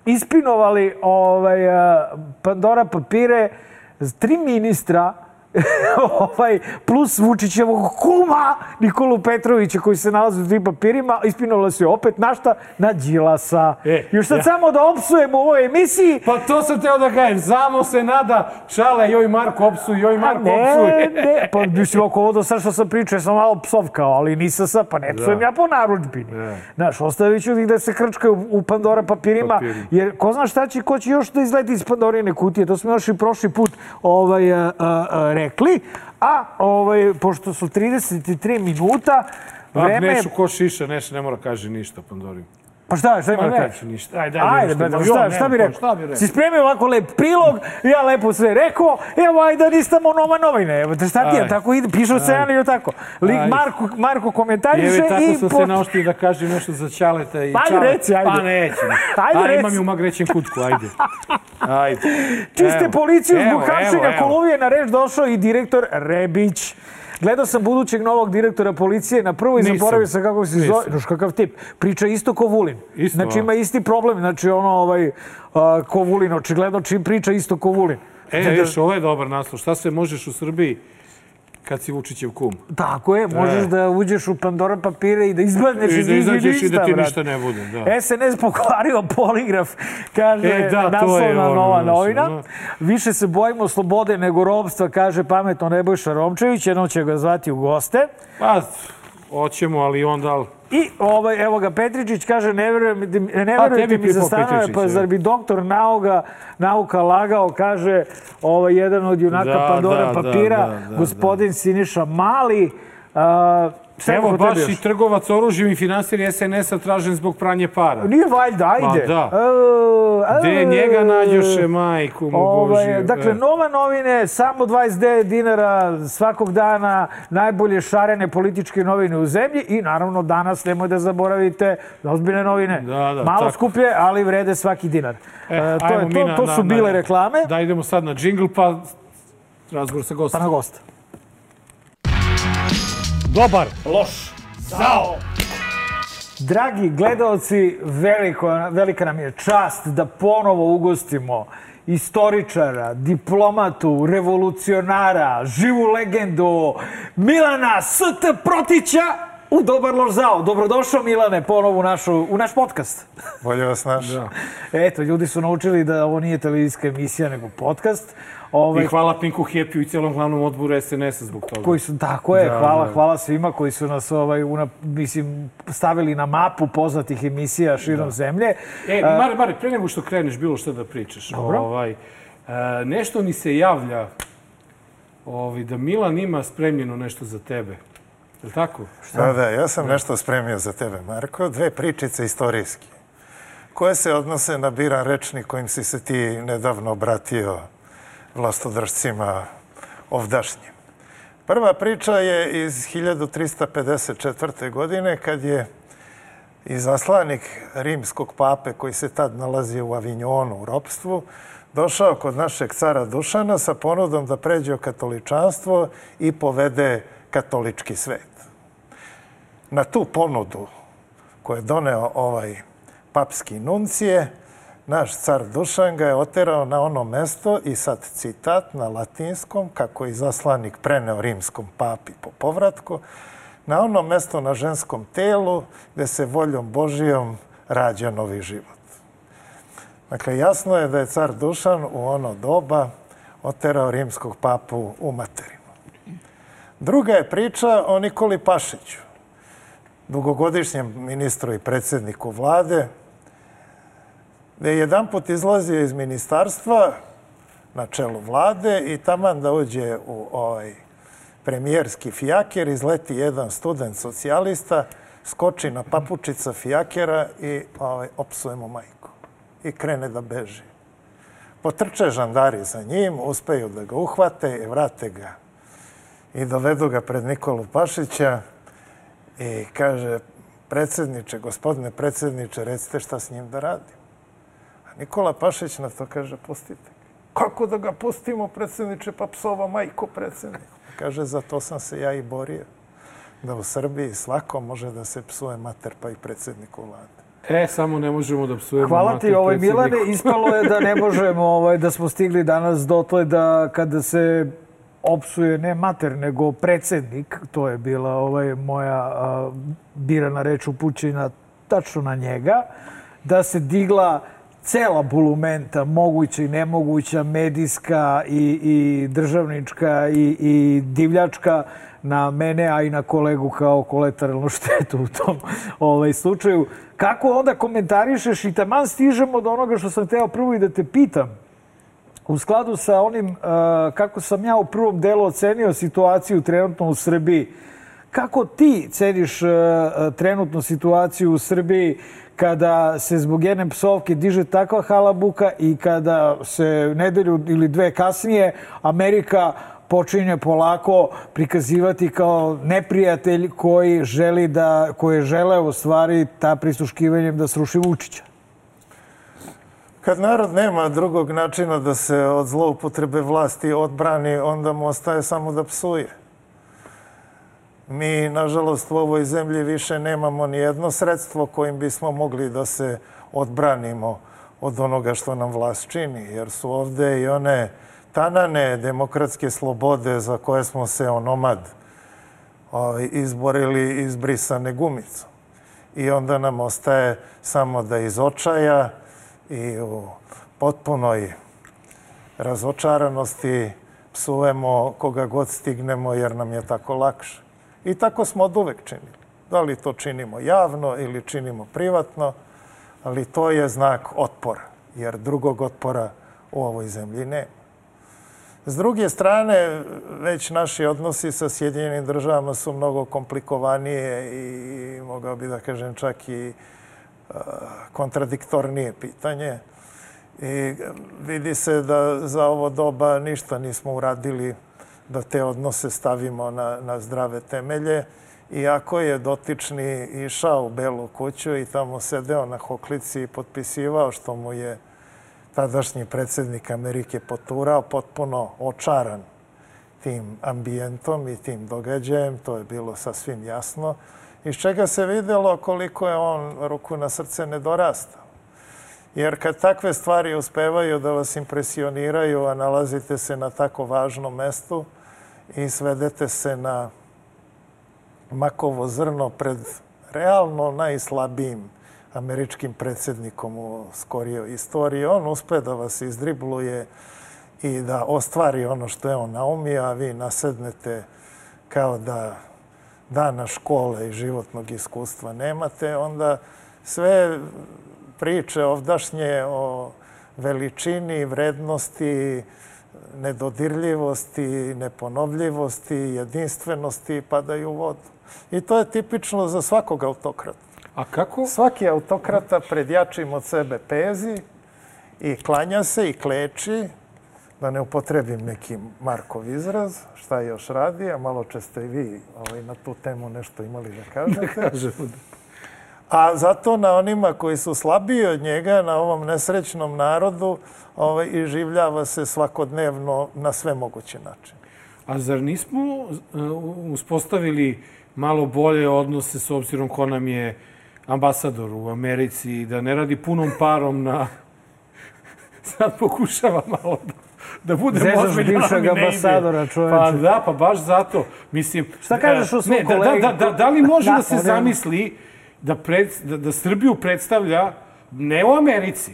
ispinovali ovaj, Pandora papire tri ministra ovaj, plus Vučićevog kuma Nikolu Petrovića koji se nalazi u tim papirima, ispinovali su je opet na šta? Na Đilasa. E, Još sad ja. samo da opsujem u ovoj emisiji. Pa to sam teo da kažem, samo se nada Šale, joj Marko opsuj, joj Marko opsuj. Ne, ne, pa mislim, ako ovo do sad što sam pričao, sam malo psovkao, ali nisam sad, pa ne psujem ja po narudžbini. Znaš, ostavit ću ih da se krčkaju u Pandora papirima, Papiri. jer ko zna šta će, ko će još da izleti iz Pandorine kutije, to smo još i prošli put ovaj, a, a, a, rekli, a ovaj, pošto su trideset tri minuta, vreme... A Nešu ko šiša, Neš ne mora kaže ništa Pandorinu. Pa šta, šta ima da kaže? Neću ništa. Ajde, ajde, ajde šta, šta, šta bi rekao? Si spremio ovako lep prilog, ja lepo sve rekao, evo ajde nistamo nova novine, evo te šta ti je, tako ide, piše u scenariju ili tako. Lik Marko, Marko komentariše i... Evo tako sam se naoštio da kažem nešto za Ćaleta i Ćaleta. Ajde reci, ajde. Pa neću. Ajde reci. Imam ju magrećen kutku, ajde. Ajde. Čiste policiju zbog hapšenja Koluvije na reč došao i direktor Rebić. Gledao sam budućeg novog direktora policije, na prvo i zaboravio sam kako se zove, noš kakav tip, priča isto ko Vulin. Isto, znači ima isti problem, znači ono ovaj, ko Vulin, očigledno čim priča isto ko Vulin. E, viš, ovo je dobar naslov. Šta sve možeš u Srbiji kad si Vučićev kum? Tako je, možeš da uđeš u Pandora papire i da izgledneš iz njih i ništa, i da ti ništa ne bude. S N S pokvario poligraf, kaže naslovna nova novina. Više se bojimo slobode nego robstva, kaže pametno Nebojša Romčević, jednom će ga zvati u goste. Pa, hoćemo, ali onda... I ovaj, evo ga, Petričić kaže, ne verujete mi za stanove, pa zar bi doktor nauka, nauka lagao, kaže ovaj, jedan od junaka Pandora papira, gospodin Siniša Mali. Evo, baš i trgovac oružjem i finansir S N S-a tražen zbog pranje para. Nije valjda, ajde. Ma da. Gde njega nađoše, majku mu Božiju. Dakle, Nova novine, samo dvadeset devet dinara svakog dana, najbolje šarene političke novine u zemlji i naravno danas, nemoj da zaboravite, ozbiljne novine. Malo skuplje, ali vrede svaki dinar. To su bile reklame. Da, idemo sad na džingl, pa razgovor sa gostom. Pa na gosta. Dobar. Loš. Zao. Dragi gledalci, velika nam je čast da ponovo ugostimo istoričara, diplomatu, revolucionara, živu legendu Milana S T Protića u Dobar loš zao. Dobrodošao Milane ponovo u naš podcast. Bolje vas naš. Eto, ljudi su naučili da ovo nije televizijska emisija nego podcast. I hvala Pinku Hepiju i cijelom glavnom odboru S N S-a zbog toga. Koji su, tako je, hvala svima koji su nas stavili na mapu poznatih emisija širom zemlje. E, Mare, pre nego što kreneš bilo što da pričaš, nešto mi se javlja da Milan ima spremljeno nešto za tebe. Je li tako? Da, da, ja sam nešto spremio za tebe, Marko. Dve pričice istorijski, koje se odnose na biran rečnik kojim si se ti nedavno obratio vlastodržcima ovdašnjim. Prva priča je iz hiljadu trista pedeset četvrte. godine, kad je izaslanik rimskog pape, koji se tad nalazio u Avignonu u ropstvu, došao kod našeg cara Dušana sa ponudom da pređe u katoličanstvo i povede katolički svet. Na tu ponudu koju je doneo ovaj papski nuncije, naš car Dušan ga je oterao na ono mesto i sad citat na latinskom, kako je izaslanik preneo rimskom papi po povratku, na ono mesto na ženskom telu gde se voljom Božijom rađa novi život. Dakle, jasno je da je car Dušan u ono doba oterao rimskog papu u materinu. Druga je priča o Nikoli Pašiću, dugogodišnjem ministru i predsjedniku vlade, gde je jedan put izlazio iz ministarstva na čelu vlade i taman da uđe u ovaj premijerski fijaker, izleti jedan student socijalista, skoči na papučica fijakera i opsuje mu majku i krene da beži. Potrče žandari za njim, uspeju da ga uhvate i vrate ga i dovedu ga pred Nikolu Pašića i kaže, predsjedniče, gospodine predsjedniče, recite šta s njim da radim. Nikola Pašić na to kaže, pustite. Kako da ga pustimo, predsjedniče, pa psova majko predsjednik? Kaže, za to sam se ja i borio. Da u Srbiji svako može da se psuje mater, pa i predsjedniku vlade. E, samo ne možemo da psujemo mater predsjedniku. Hvala ti, Milane. Ispalo je da ne možemo, da smo stigli danas dotle da kada se opsuje ne mater, nego predsjednik, to je bila moja birana reč upućena tačno na njega, da se digla cela bulumenta, moguća i nemoguća, medijska i državnička i divljačka na mene, a i na kolegu kao kolateralnu štetu u tom slučaju. Kako onda komentarišeš i taman stižemo do onoga što sam hteo prvo i da te pitam, u skladu sa onim kako sam ja u prvom delu ocenio situaciju trenutno u Srbiji, kako ti ceniš trenutnu situaciju u Srbiji kada se zbog jedne psovke diže takva halabuka i kada se nedelju ili dve kasnije Amerika počinje polako prikazivati kao neprijatelj koji želi da, koje žele u stvari ta prisluškivanjem da sruši Vučića? Kad narod nema drugog načina da se od zloupotrebe vlasti odbrani, onda mu ostaje samo da psuje. Mi, nažalost, u ovoj zemlji više nemamo ni jedno sredstvo kojim bismo mogli da se odbranimo od onoga što nam vlast čini, jer su ovde i one tanane demokratske slobode za koje smo se onomad izborili izbrisane gumicom. I onda nam ostaje samo da iz očaja i u potpunoj razočaranosti psujemo koga god stignemo jer nam je tako lakše. I tako smo od uvek činili. Da li to činimo javno ili činimo privatno, ali to je znak otpora, jer drugog otpora u ovoj zemlji nema. S druge strane, već naši odnosi sa Sjedinjenim državama su mnogo komplikovanije i, mogao bi da kažem, čak i kontradiktornije pitanje. I vidi se da za ovo doba ništa nismo uradili da te odnose stavimo na, na zdrave temelje. Iako je dotični išao u Belu kuću i tamo sedeo na hoklici i potpisivao što mu je tadašnji predsjednik Amerike poturao, potpuno očaran tim ambijentom i tim događajem, to je bilo sasvim jasno, iz čega se vidjelo koliko je on ruku na srce nedorastao. Jer kad takve stvari uspevaju da vas impresioniraju, a nalazite se na tako važnom mestu i svedete se na makovo zrno pred realno najslabijim američkim predsjednikom u skorijoj istoriji, on uspe da vas izdribluje i da ostvari ono što je on naumio, a vi nasednete kao da dana škole i životnog iskustva nemate, onda sve priče ovdašnje o veličini, vrednosti, nedodirljivosti, neponovljivosti, jedinstvenosti padaju u vodu. I to je tipično za svakog autokrata. A kako? Svaki autokrata pred jačim od sebe pezi i klanja se i kleči, da ne upotrebim neki Markov izraz, šta još radi, a malo često i vi na tu temu nešto imali da kažete. A zato na onima koji su slabiji od njega, na ovom nesrećnom narodu, iživljava se svakodnevno na sve moguće načine. A zar nismo uspostavili malo bolje odnose s obzirom ko nam je ambasador u Americi, da ne radi punom parom na... Sad pokušava malo da, da bude ozbiljan, ali ne ide. Bivšeg ambasadora, čoveče. Pa da, pa baš zato. Mislim, šta kažeš o svom ne, kolegi? Da, da, da, da li može da, da se zamisli da, pred, da, da Srbiju predstavlja ne u Americi,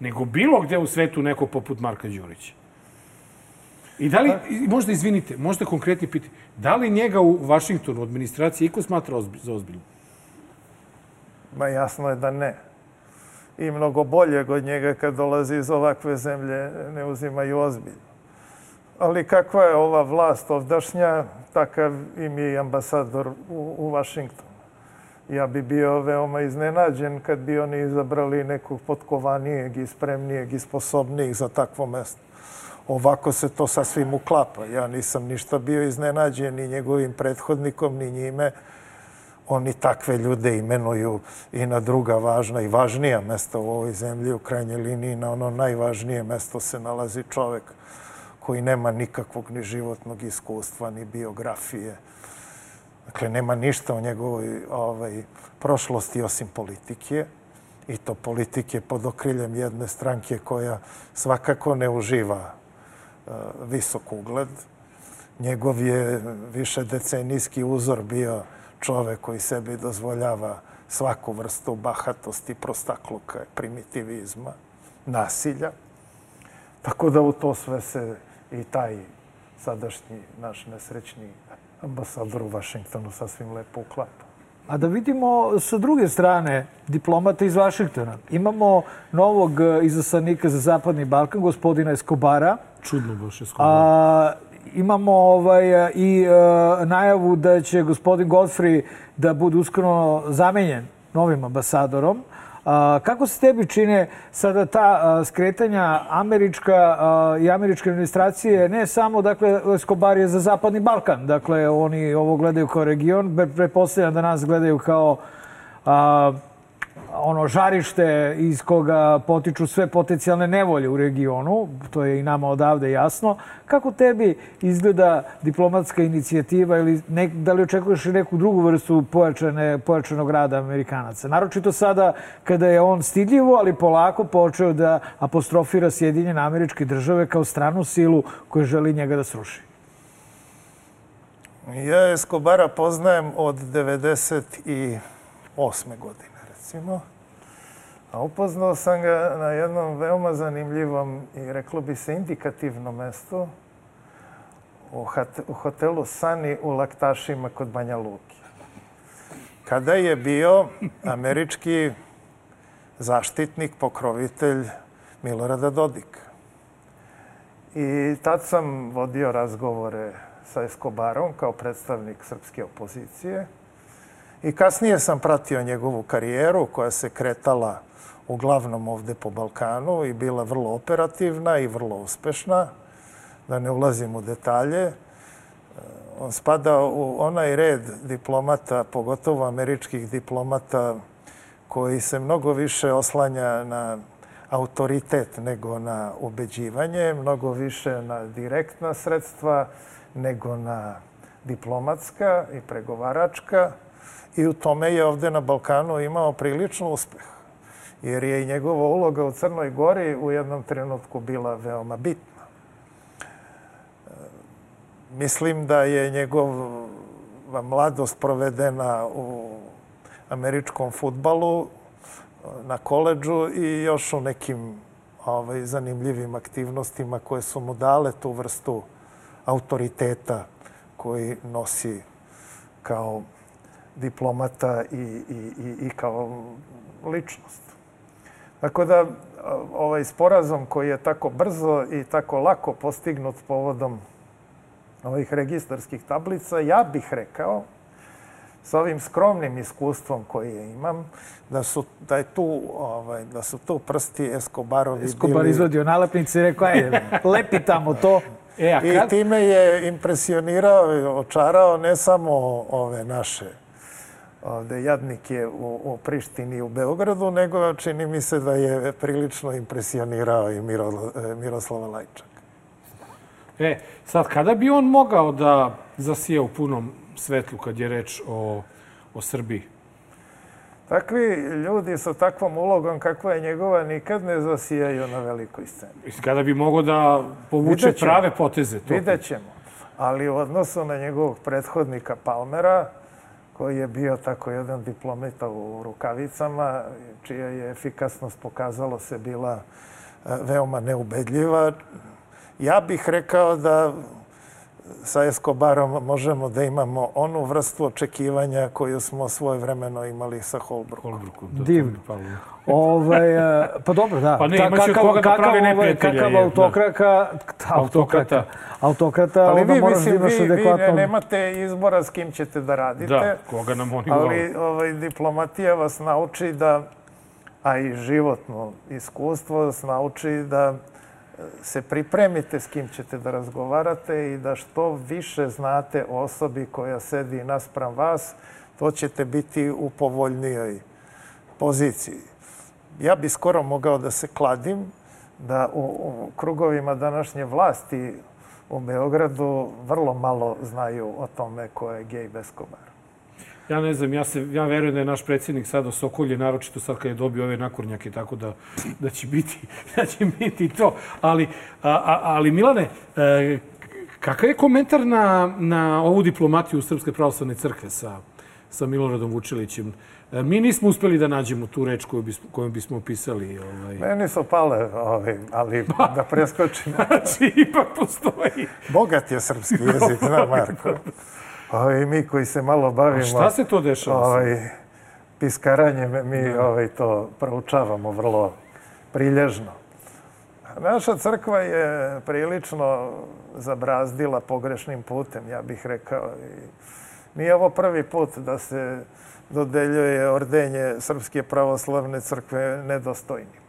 nego bilo gde u svetu neko poput Marka Đurića? I da li, možda izvinite, možda konkretni pitanje, da li njega u Vašingtonu, administraciji, iko smatra za ozbiljno? Ma jasno je da ne. I mnogo bolje od njega kad dolazi iz ovakve zemlje ne uzimaju ozbiljno. Ali kakva je ova vlast ovdašnja, takav im je i ambasador u, u Vašingtonu. Ja bi bio veoma iznenađen kad bi oni izabrali nekog potkovanijeg i spremnijeg i sposobnijeg za takvo mesto. Ovako se to sasvim uklapa. Ja nisam ništa bio iznenađen ni njegovim prethodnikom, ni njime. Oni takve ljude imenuju i na druga važna i važnija mesta u ovoj zemlji. U krajnjoj liniji na ono najvažnije mesto se nalazi čovek koji nema nikakvog ni životnog iskustva, ni biografije. Dakle, nema ništa o njegovoj ovaj, prošlosti osim politike. I to politike pod okriljem jedne stranke koja svakako ne uživa uh, visok ugled. Njegov je višedecenijski uzor bio čovek koji sebi dozvoljava svaku vrstu bahatosti, prostakluka, primitivizma, nasilja. Tako da u to sve se i taj sadašnji naš nesrećni ambasador u Vašingtonu sasvim lepo uklapa. A da vidimo sa druge strane diplomata iz Vašingtona. Imamo novog izaslanika za Zapadni Balkan, gospodina Escobara. Čudno baš Escobara. Imamo ovaj, i uh, najavu da će gospodin Godfrey da bude uskoro zamenjen novim ambasadorom. Uh, kako se tebi čine sada ta uh, skretanja američka uh, i američke administracije, ne samo, dakle, Escobar je za Zapadni Balkan, dakle, oni ovo gledaju kao region, pretpostavljam da nas gledaju kao uh, ono žarište iz koga potiču sve potencijalne nevolje u regionu, to je i nama odavde jasno. Kako tebi izgleda diplomatska inicijativa ili ne, da li očekuješ i neku drugu vrstu pojačane, pojačanog rada Amerikanaca? Naročito sada kada je on stidljivo, ali polako počeo da apostrofira Sjedinjene Američke Države kao stranu silu koja želi njega da sruši. Ja Escobara poznajem od devedeset osme godine, recimo. A upoznao sam ga na jednom veoma zanimljivom i reklo bi se indikativnom mestu u hotelu Sani u Laktašima kod Banja Luki. Kada je bio američki zaštitnik, pokrovitelj Milorada Dodika. I tad sam vodio razgovore sa Escobarom kao predstavnik srpske opozicije. I kasnije sam pratio njegovu karijeru koja se kretala uglavnom ovde po Balkanu i bila vrlo operativna i vrlo uspešna. Da ne ulazim u detalje. On spada u onaj red diplomata, pogotovo američkih diplomata, koji se mnogo više oslanja na autoritet nego na ubeđivanje, mnogo više na direktna sredstva nego na diplomatska i pregovaračka. I u tome je ovde na Balkanu imao prilično uspeh. Jer je i njegova uloga u Crnoj Gori u jednom trenutku bila veoma bitna. Mislim da je njegova mladost provedena u američkom fudbalu, na koledžu i još u nekim ovaj, zanimljivim aktivnostima koje su mu dale tu vrstu autoriteta koji nosi kao diplomata i, i, i, i kao ličnost. Tako da ovaj sporazum koji je tako brzo i tako lako postignut povodom ovih registarskih tablica, ja bih rekao, sa ovim skromnim iskustvom koje imam, da su, da je tu, ovaj, da su tu prsti Escobarovi bili... Escobar izvodio nalepnice i rekao, aj, lepi tamo to. E, a kad... I time je impresionirao i očarao ne samo ove naše ovde jadnike u, u Prištini i u Beogradu, nego čini mi se da je prilično impresionirao i Miro, Miroslava Lajčaka. E, sad, kada bi on mogao da zasije u punom svetlu kad je reč o, o Srbiji? Takvi ljudi sa takvom ulogom kakva je njegova nikad ne zasijaju na velikoj sceni. Kada bi mogao da povuče prave poteze? To... Vidjet ćemo. Ali u odnosu na njegovog prethodnika Palmera, koji je bio tako jedan diplomata u rukavicama, čija je efikasnost pokazalo se bila veoma neubedljiva, ja bih rekao da sa Escobarom možemo da imamo onu vrstu očekivanja koju smo svojevremeno imali sa Holbrookom. Divno. Ovaj, pa dobro, da. Pa ne, imaće od koga da pravi neprijatelja. Kakav autokraka, autokrata, autokrata, ali onda vi, moraš da imaš adekvatno... Vi nemate izbora s kim ćete da radite. Da, koga nam oni ali ovaj, diplomatija vas nauči da, a i životno iskustvo vas nauči da se pripremite s kim ćete da razgovarate i da što više znate o osobi koja sedi naspram vas, to ćete biti u povoljnijoj poziciji. Ja bi skoro mogao da se kladim da u, u krugovima današnje vlasti u Beogradu vrlo malo znaju o tome ko je Gabe Escobar. Ja ne znam, ja, se, ja verujem da je naš predsjednik sad osokolje, naročito sad kad je dobio ove nakurnjake, tako da, da, će, biti, da će biti to. Ali, a, a, ali Milane, e, kakav je komentar na, na ovu diplomatiju Srpske pravoslavne crkve sa, sa Miloradom Vučilićem? E, mi nismo uspeli da nađemo tu reč koju, bis, koju bismo opisali. Ovaj. Meni su pale, ovaj, ali da preskočim. Znači, ipak postoji. Bogat je srpski jezik, zna Marko. Ovaj, mi koji se malo bavimo... A šta se to dešava? Ovaj, piskaranjem, mi ovaj, to proučavamo vrlo prilježno. Naša crkva je prilično zabrazdila pogrešnim putem, ja bih rekao. I nije ovo prvi put da se dodeljuje ordenje Srpske pravoslavne crkve nedostojnima.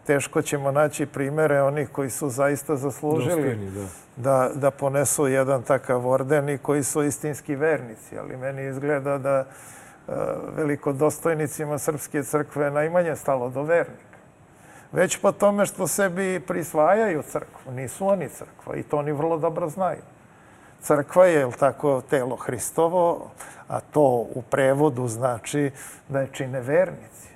Teško ćemo naći primere onih koji su zaista zaslužili da, da ponesu jedan takav orden i koji su istinski vernici. Ali meni izgleda da velikodostojnicima Srpske crkve najmanje stalo do vernika. Već po tome što sebi prisvajaju crkvu. Nisu oni crkva i to oni vrlo dobro znaju. Crkva je, jel tako, telo Hristovo, a to u prevodu znači da je čine vernici.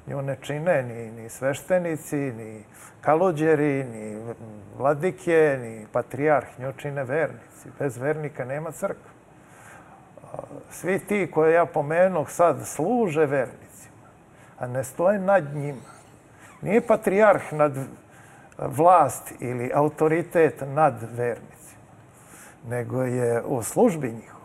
Nju ne čine ni, ni sveštenici, ni kalođeri, ni vladike, ni patrijarh. Nju čine vernici. Bez vernika nema crkve. Svi ti koje ja pomenuh sad služe vernicima, a ne stoje nad njima. Nije patrijarh nad vlast ili autoritet nad vernicima, nego je u službi njihovom.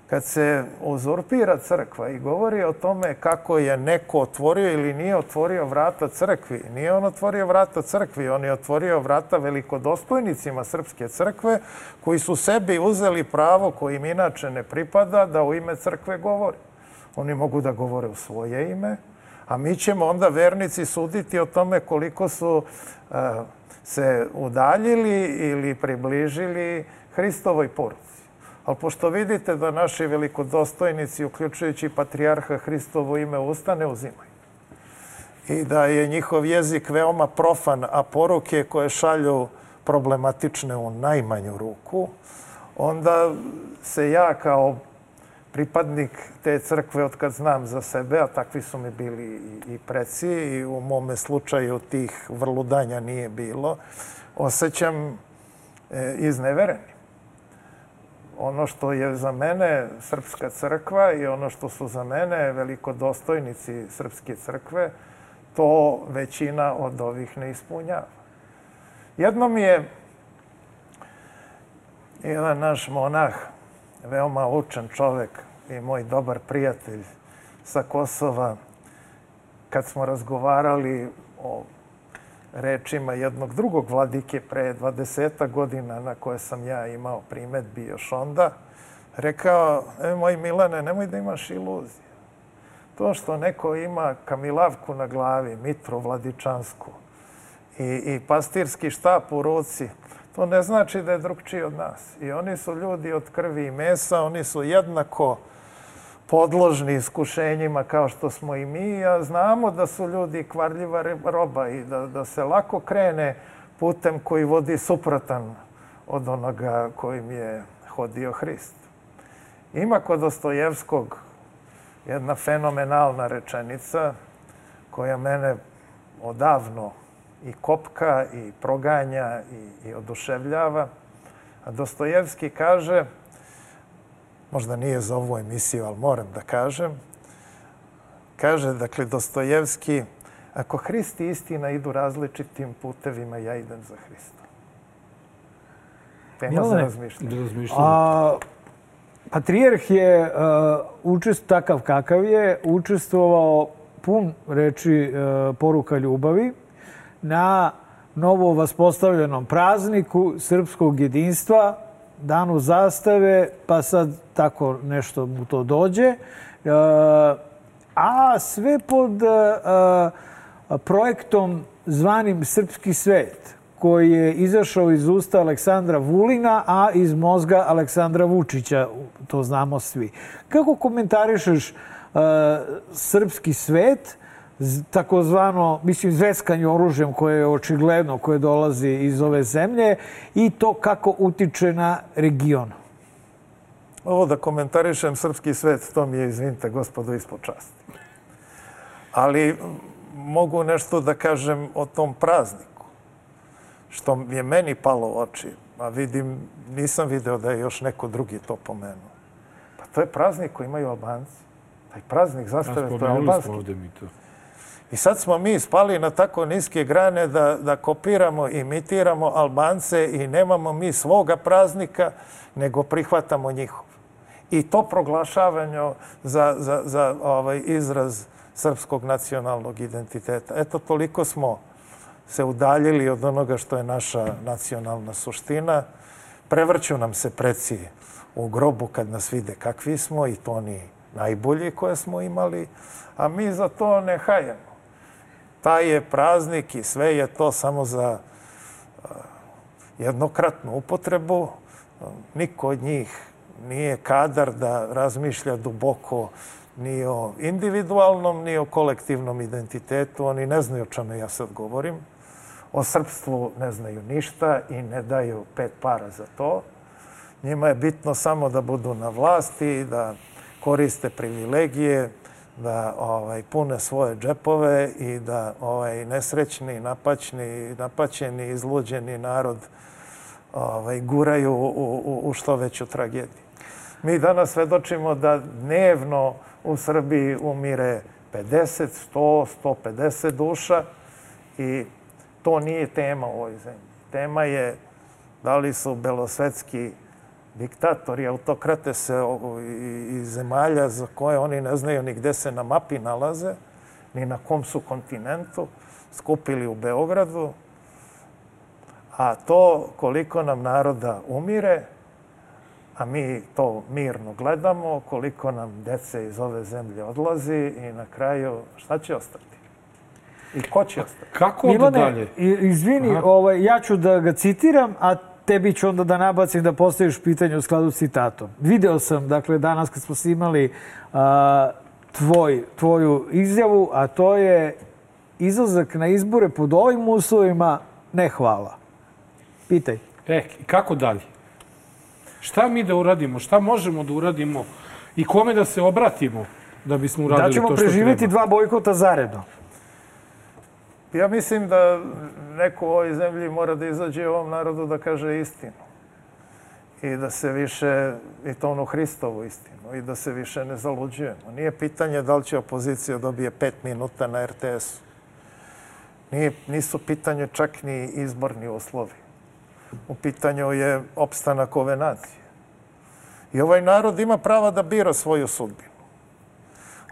Kad se uzurpira crkva i govori o tome kako je neko otvorio ili nije otvorio vrata crkvi, nije on otvorio vrata crkvi, on je otvorio vrata velikodostojnicima Srpske crkve koji su sebi uzeli pravo koje im inače ne pripada da u ime crkve govori. Oni mogu da govore u svoje ime, a mi ćemo onda vernici suditi o tome koliko su uh, se udaljili ili približili Hristovoj poruci. Ali pošto vidite da naši velikodostojnici, uključujući patrijarha, Hristovo ime usta ne uzimaju i da je njihov jezik veoma profan, a poruke koje šalju problematične u najmanju ruku, onda se ja kao pripadnik te crkve, od kad znam za sebe, a takvi su mi bili i preci, i u mome slučaju tih vrludanja nije bilo, osjećam iznevereni. Ono što je za mene Srpska crkva i ono što su za mene velikodostojnici Srpske crkve, to većina od ovih ne ispunjava. Jednom je jedan naš monah, veoma učen čovek i moj dobar prijatelj sa Kosova, kad smo razgovarali o rečima jednog drugog vladike pre dvadesetak godina na koje sam ja imao primetbi još onda, rekao, e, moj Milane, nemoj da imaš iluzije. To što neko ima kamilavku na glavi, mitru vladičansku i, i pastirski štap u ruci, to ne znači da je drugčiji od nas. I oni su ljudi od krvi i mesa, oni su jednako podložni iskušenjima kao što smo i mi, a znamo da su ljudi kvarljiva roba i da, da se lako krene putem koji vodi suprotan od onoga kojim je hodio Hrist. Ima kod Dostojevskog jedna fenomenalna rečenica koja mene odavno i kopka i proganja i, i oduševljava. A Dostojevski kaže, možda nije za ovu emisiju, ali moram da kažem, kaže, dakle, Dostojevski, ako Hrist i istina idu različitim putevima, ja idem za Hristom. Tema za razmišljanje. A patrijarh je uh, učest, takav kakav je, učestvovao pun reči uh, poruka ljubavi na novo vaspostavljenom prazniku srpskog jedinstva, danu zastave, pa sad tako nešto mu to dođe. A sve pod projektom zvanim Srpski svet, koji je izašao iz usta Aleksandra Vulina, a iz mozga Aleksandra Vučića, to znamo svi. Kako komentarišeš Srpski svet, takozvano, mislim, zveskanje oružjem koje je očigledno, koje dolazi iz ove zemlje, i to kako utiče na region? Ovo da komentarišem Srpski svet, to mi je, izvinite, gospodo, ispod časti. Ali mogu nešto da kažem o tom prazniku, što je meni palo u oči, a vidim, nisam video da je još neko drugi to pomenuo. Pa to je praznik koji imaju Albanci. Taj praznik zastave, to je albanski. I sad smo mi spali na tako niske grane da, da kopiramo, imitiramo Albance i nemamo mi svoga praznika, nego prihvatamo njihov. I to proglašavanje za, za, za ovaj izraz srpskog nacionalnog identiteta. Eto, toliko smo se udaljili od onoga što je naša nacionalna suština. Prevrću nam se preci u grobu kad nas vide kakvi smo, i to oni najbolji koje smo imali, a mi za to ne hajemo. Taj je praznik i sve je to samo za jednokratnu upotrebu. Niko od njih nije kadar da razmišlja duboko ni o individualnom, ni o kolektivnom identitetu. Oni ne znaju o čemu ja sad govorim. O srpstvu ne znaju ništa i ne daju pet para za to. Njima je bitno samo da budu na vlasti, da koriste privilegije, da ovaj, pune svoje džepove i da ovaj, nesrećni, napaćni, napaćeni, izluđeni narod ovaj, guraju u, u, u što veću tragediju. Mi danas svedočimo da dnevno u Srbiji umire pedeset, sto, sto pedeset duša i to nije tema u ovoj zemlji. Tema je da li su belosvetski diktatori, autokrate se iz zemalja za koje oni ne znaju ni gde se na mapi nalaze, ni na kom su kontinentu, skupili u Beogradu. A to koliko nam naroda umire, a mi to mirno gledamo, koliko nam dece iz ove zemlje odlazi i na kraju šta će ostati? I ko će ostati? Kako onda dalje? Izvini, ovaj, ja ću da ga citiram, a tebi ću onda da nabacim da postaviš pitanje u skladu s citatom. Video sam, dakle, danas kad smo snimali a, tvoj, tvoju izjavu, a to je izlazak na izbore pod ovim uslovima, ne hvala. Pitaj. E, kako dalje? Šta mi da uradimo? Šta možemo da uradimo? I kome da se obratimo da bismo uradili to što treba? Da ćemo preživjeti dva bojkota zaredno. Ja mislim da neko u ovoj zemlji mora da izađe ovom narodu da kaže istinu. I da se više, i to onu Hristovu istinu, i da se više ne zaluđujemo. Nije pitanje da li će opozicija dobije pet minuta na er te esu. Nije, nisu pitanje čak ni izborni uslovi. U pitanju je opstanak ove nacije. I ovaj narod ima prava da bira svoju sudbinu.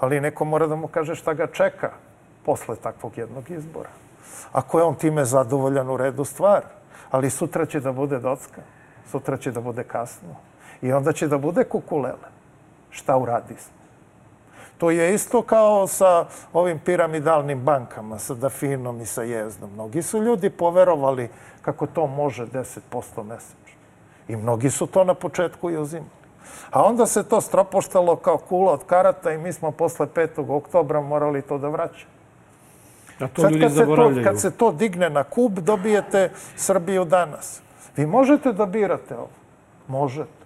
Ali neko mora da mu kaže šta ga čeka posle takvog jednog izbora. Ako je on time zadovoljan, u redu stvar. Ali sutra će da bude docka. Sutra će da bude kasno. I onda će da bude kukulele. Šta uradi smo? To je isto kao sa ovim piramidalnim bankama, sa Dafinom i sa Jezdom. Mnogi su ljudi poverovali kako to može deset posto mesečno. I mnogi su to na početku i uzimali. A onda se to stropoštalo kao kula od karata i mi smo posle petog oktobra morali to da vraćamo. A to ljudi zaboravljaju. Kad se to digne na kub, dobijete Srbiju danas. Vi možete da birate ovo. Možete.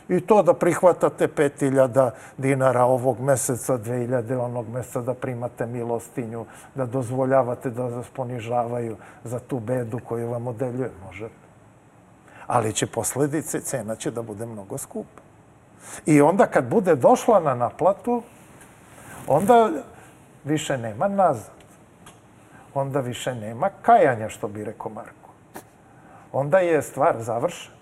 I to da prihvatate pet hiljada dinara ovog meseca, dve hiljade onog meseca, da primate milostinju, da dozvoljavate da vas ponižavaju za tu bedu koju vam odeljuje. Možete. Ali će posledice, cena će da bude mnogo skupa. I onda kad bude došla na naplatu, onda više nema nazad. Onda više nema kajanja, što bi rekao Marko. Onda je stvar završena.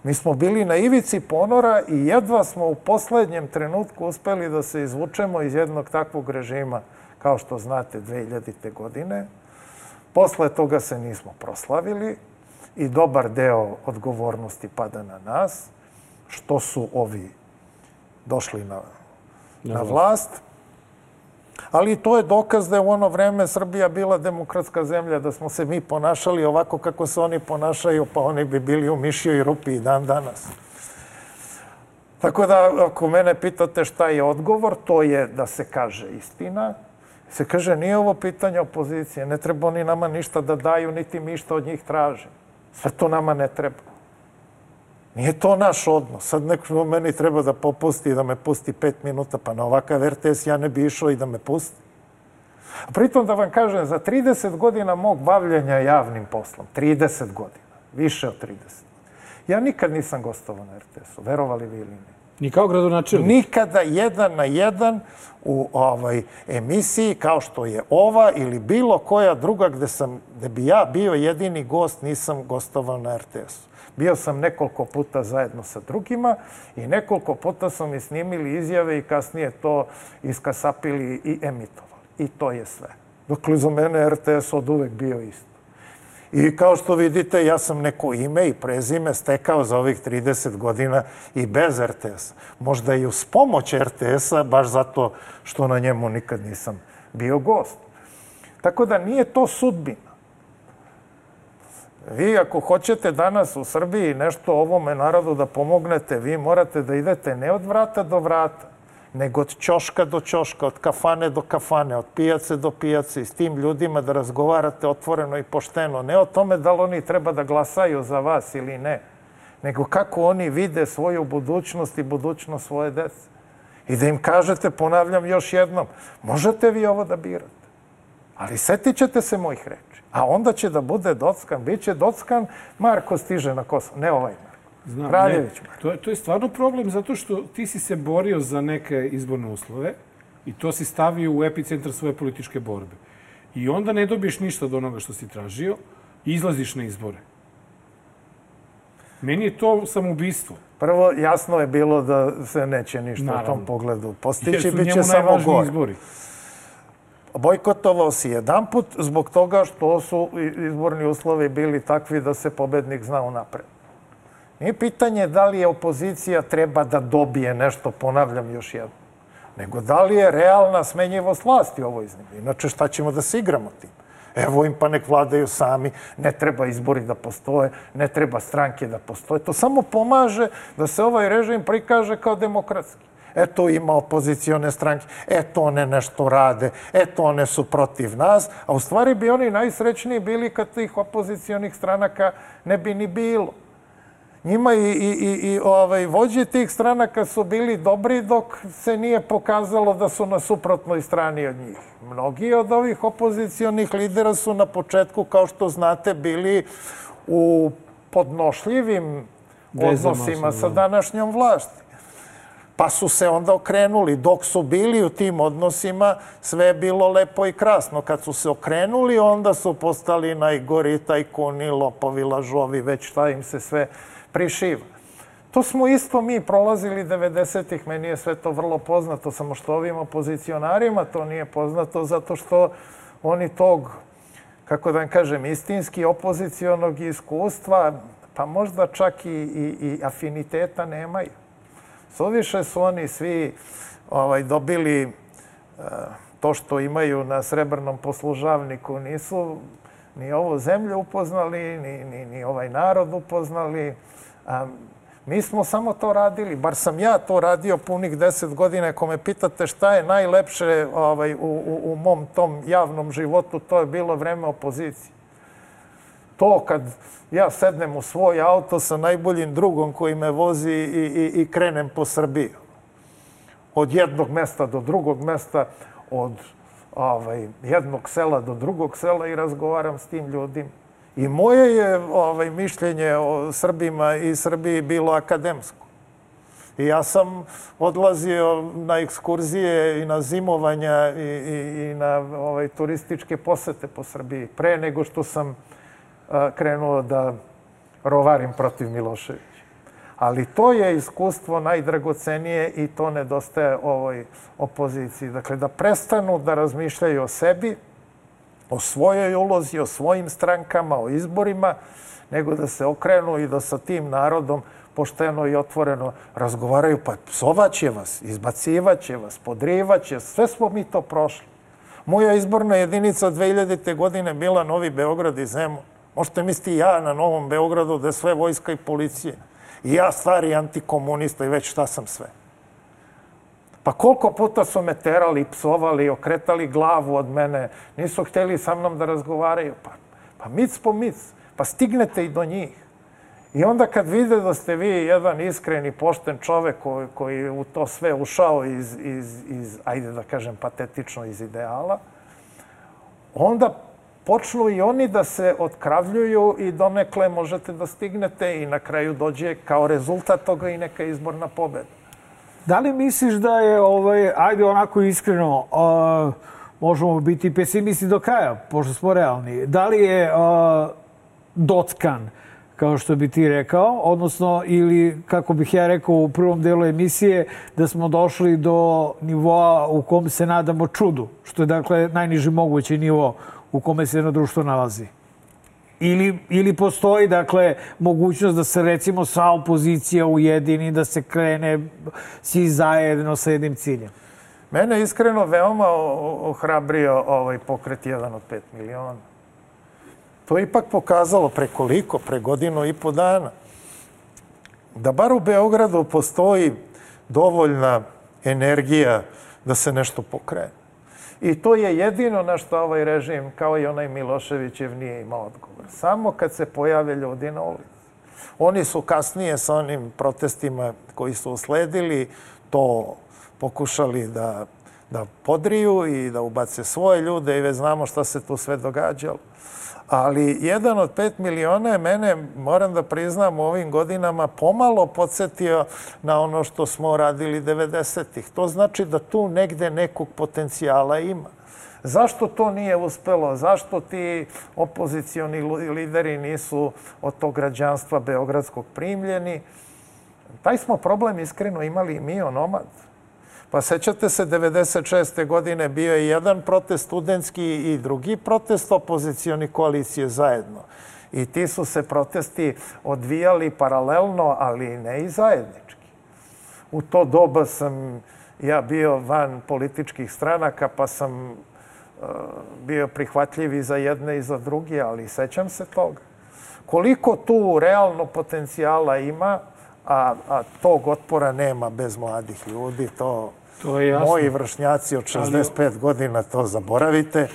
Mi smo bili na ivici ponora i jedva smo u poslednjem trenutku uspeli da se izvučemo iz jednog takvog režima, kao što znate, dve hiljadite. godine. Posle toga se nismo proslavili i dobar deo odgovornosti pada na nas, što su ovi došli na, na vlast. Ali to je dokaz da je u ono vreme Srbija bila demokratska zemlja, da smo se mi ponašali ovako kako se oni ponašaju, pa oni bi bili u mišjoj rupi i dan danas. Tako da, ako mene pitate šta je odgovor, to je da se kaže istina. Se kaže, nije ovo pitanje opozicije, ne treba oni nama ništa da daju, niti mi što od njih tražimo. Sve to nama ne treba. Nije to naš odnos. Sad neko meni treba da popusti i da me pusti pet minuta, pa na ovakav er te es ja ne bi išao i da me pusti. A pritom da vam kažem, za trideset godina mog bavljenja javnim poslom, trideset godina, više od trideset, ja nikad nisam gostovao na er te esu, verovali vi ili ne. Ni kao gradonačelnik? Nikada jedan na jedan u ovaj emisiji kao što je ova ili bilo koja druga gde, sam, gde bi ja bio jedini gost, nisam gostovao na er te esu. Bio sam nekoliko puta zajedno sa drugima i nekoliko puta su mi snimili izjave i kasnije to iskasapili i emitovali. I to je sve. Dakle, za mene er te es od uvek bio isto. I kao što vidite, ja sam neko ime i prezime stekao za ovih trideset godina i bez er te esa. Možda i uz pomoć er te esa, baš zato što na njemu nikad nisam bio gost. Tako da nije to sudbina. Vi ako hoćete danas u Srbiji nešto ovome narodu da pomognete, vi morate da idete ne od vrata do vrata, nego od ćoška do ćoška, od kafane do kafane, od pijace do pijace i s tim ljudima da razgovarate otvoreno i pošteno. Ne o tome da li oni treba da glasaju za vas ili ne, nego kako oni vide svoju budućnost i budućnost svoje dece. I da im kažete, ponavljam još jednom, možete vi ovo da birate, ali setit ćete se mojih reči. A onda će da bude dockan, bit će dockan, Marko stiže na Kosovo, ne ovaj Marko. Znam, ne, to, je, to je stvarno problem zato što ti si se borio za neke izborne uslove i to si stavio u epicentar svoje političke borbe. I onda ne dobiješ ništa od onoga što si tražio i izlaziš na izbore. Meni je to samoubistvo. Prvo, jasno je bilo da se neće ništa Naravno. u tom pogledu postići, bit će samo gore. Izbori. Bojkotovao si jedan put zbog toga što su izborni uslovi bili takvi da se pobednik zna unapred. Nije pitanje da li je opozicija treba da dobije nešto, ponavljam još jedno, nego da li je realna smenjivost vlasti u ovoj zemlji. Inače, šta ćemo da se igramo tim? Evo im pa nek vladaju sami, ne treba izbori da postoje, ne treba stranke da postoje. To samo pomaže da se ovaj režim prikaže kao demokratski. Eto ima opozicione stranke, eto one nešto rade, eto one su protiv nas, a u stvari bi oni najsrećniji bili kad tih opozicionih stranaka ne bi ni bilo. Njima i, i, i, i ovaj, vođe tih stranaka su bili dobri dok se nije pokazalo da su na suprotnoj strani od njih. Mnogi od ovih opozicionih lidera su na početku, kao što znate, bili u podnošljivim odnosima sa današnjom vlasti. Pa su se onda okrenuli. Dok su bili u tim odnosima, sve je bilo lepo i krasno. Kad su se okrenuli, onda su postali najgori tajkuni, lopovi, lažovi, već šta im se sve prišiva. To smo isto mi prolazili devedesetih. Meni je sve to vrlo poznato, samo što ovim opozicionarima to nije poznato, zato što oni tog, kako da vam kažem, istinski opozicionog iskustva, pa možda čak i, i, i afiniteta nemaju. Suviše su oni svi ovaj, dobili uh, to što imaju na srebrnom poslužavniku. Nisu ni ovu zemlju upoznali, ni, ni, ni ovaj narod upoznali. A mi smo samo to radili, bar sam ja to radio punih deset godina. Ako me pitate šta je najlepše ovaj, u, u, u mom tom javnom životu, to je bilo vreme opozicije. To kad ja sednem u svoj auto sa najboljim drugom koji me vozi i, i, i krenem po Srbiji. Od jednog mesta do drugog mesta, od ovaj, jednog sela do drugog sela i razgovaram s tim ljudima. I moje je ovaj, mišljenje o Srbima i Srbiji bilo akademsko. I ja sam odlazio na ekskurzije i na zimovanja i, i, i na ovaj, turističke posete po Srbiji pre nego što sam krenuo da rovarim protiv Miloševića. Ali to je iskustvo najdragocenije i to nedostaje ovoj opoziciji. Dakle, da prestanu da razmišljaju o sebi, o svojoj ulozi, o svojim strankama, o izborima, nego da se okrenu i da sa tim narodom pošteno i otvoreno razgovaraju. Pa psovaće vas, izbacivaće vas, podrivaće, sve smo mi to prošli. Moja izborna jedinica dve hiljadite. godine bila Novi Beograd i Zemun. Možete misliti ja na Novom Beogradu da je sve vojska i policije. I ja stari antikomunista i već šta sam sve. Pa koliko puta su me terali, psovali, okretali glavu od mene. Nisu htjeli sa mnom da razgovaraju. Pa, pa mic po mic. Pa stignete i do njih. I onda kad vide da ste vi jedan iskren i pošten čovek koji, koji u to sve ušao iz, iz, iz, ajde da kažem patetično, iz ideala, onda počnu i oni da se otkravljuju i donekle možete da stignete i na kraju dođe kao rezultat toga i neka izborna pobeda. Da li misliš da je, ovaj, ajde onako iskreno, uh, možemo biti pesimisti do kraja, pošto smo realni, da li je uh, dockan, kao što bi ti rekao, odnosno, ili kako bih ja rekao u prvom delu emisije, da smo došli do nivoa u kom se nadamo čudu, što je dakle najniži mogući nivo u kome se jedno društvo nalazi. Ili, ili postoji, dakle, mogućnost da se, recimo, sva opozicija ujedini, da se krene svi zajedno sa jednim ciljem? Mene iskreno veoma ohrabrio ovaj pokret jedan od pet miliona. To je ipak pokazalo pre koliko, pre godinu i po dana, da bar u Beogradu postoji dovoljna energija da se nešto pokrene. I to je jedino na što ovaj režim, kao i onaj Miloševićev, nije imao odgovor. Samo kad se pojave ljudi na ulici. Oni su kasnije sa onim protestima koji su usledili to pokušali da, da podriju i da ubace svoje ljude i već znamo šta se tu sve događalo. Ali jedan od pet miliona je mene, moram da priznam, u ovim godinama pomalo podsjetio na ono što smo radili devedesetih. To znači da tu negde nekog potencijala ima. Zašto to nije uspelo? Zašto ti opozicioni lideri nisu od tog građanstva beogradskog primljeni? Taj smo problem iskreno imali i mi, onomad. Pa sećate se, devedeset šeste. godine bio je jedan protest studentski i drugi protest opozicioni koalicije zajedno. I ti su se protesti odvijali paralelno, ali ne i zajednički. U to doba sam ja bio van političkih stranaka, pa sam bio prihvatljiv i za jedne i za druge, ali sećam se toga. Koliko tu realno potencijala ima, a, a tog otpora nema bez mladih ljudi, to, to je jasno. Moji vršnjaci od šezdeset pet godina to zaboravite.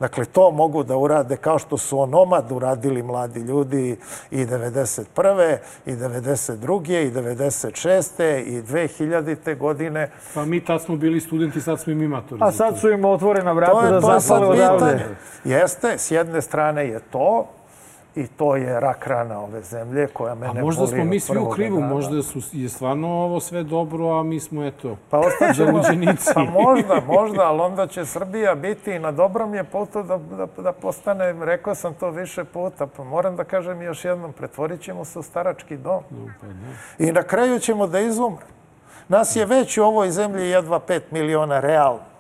Dakle, to mogu da urade kao što su onomad uradili mladi ljudi i devedeset prve i devedeset druge i devedeset šeste i dve hiljadite. godine. Pa mi tad smo bili studenti, sad smo im matori. A sad su im otvorena vrata da zapale odavde. Jeste, s jedne strane je to, i to je rak rana ove zemlje koja mene boli. A možda smo mi svi u krivu, možda su, je stvarno ovo sve dobro, a mi smo, eto, pa zaluđenici. Pa možda, možda, ali onda će Srbija biti na dobrom je putu da, da, da postane, rekao sam to više puta, pa moram da kažem još jednom, pretvorit ćemo se u starački dom. No, pa ne. I na kraju ćemo da izumre. Nas je već u ovoj zemlji jedva pet miliona realno.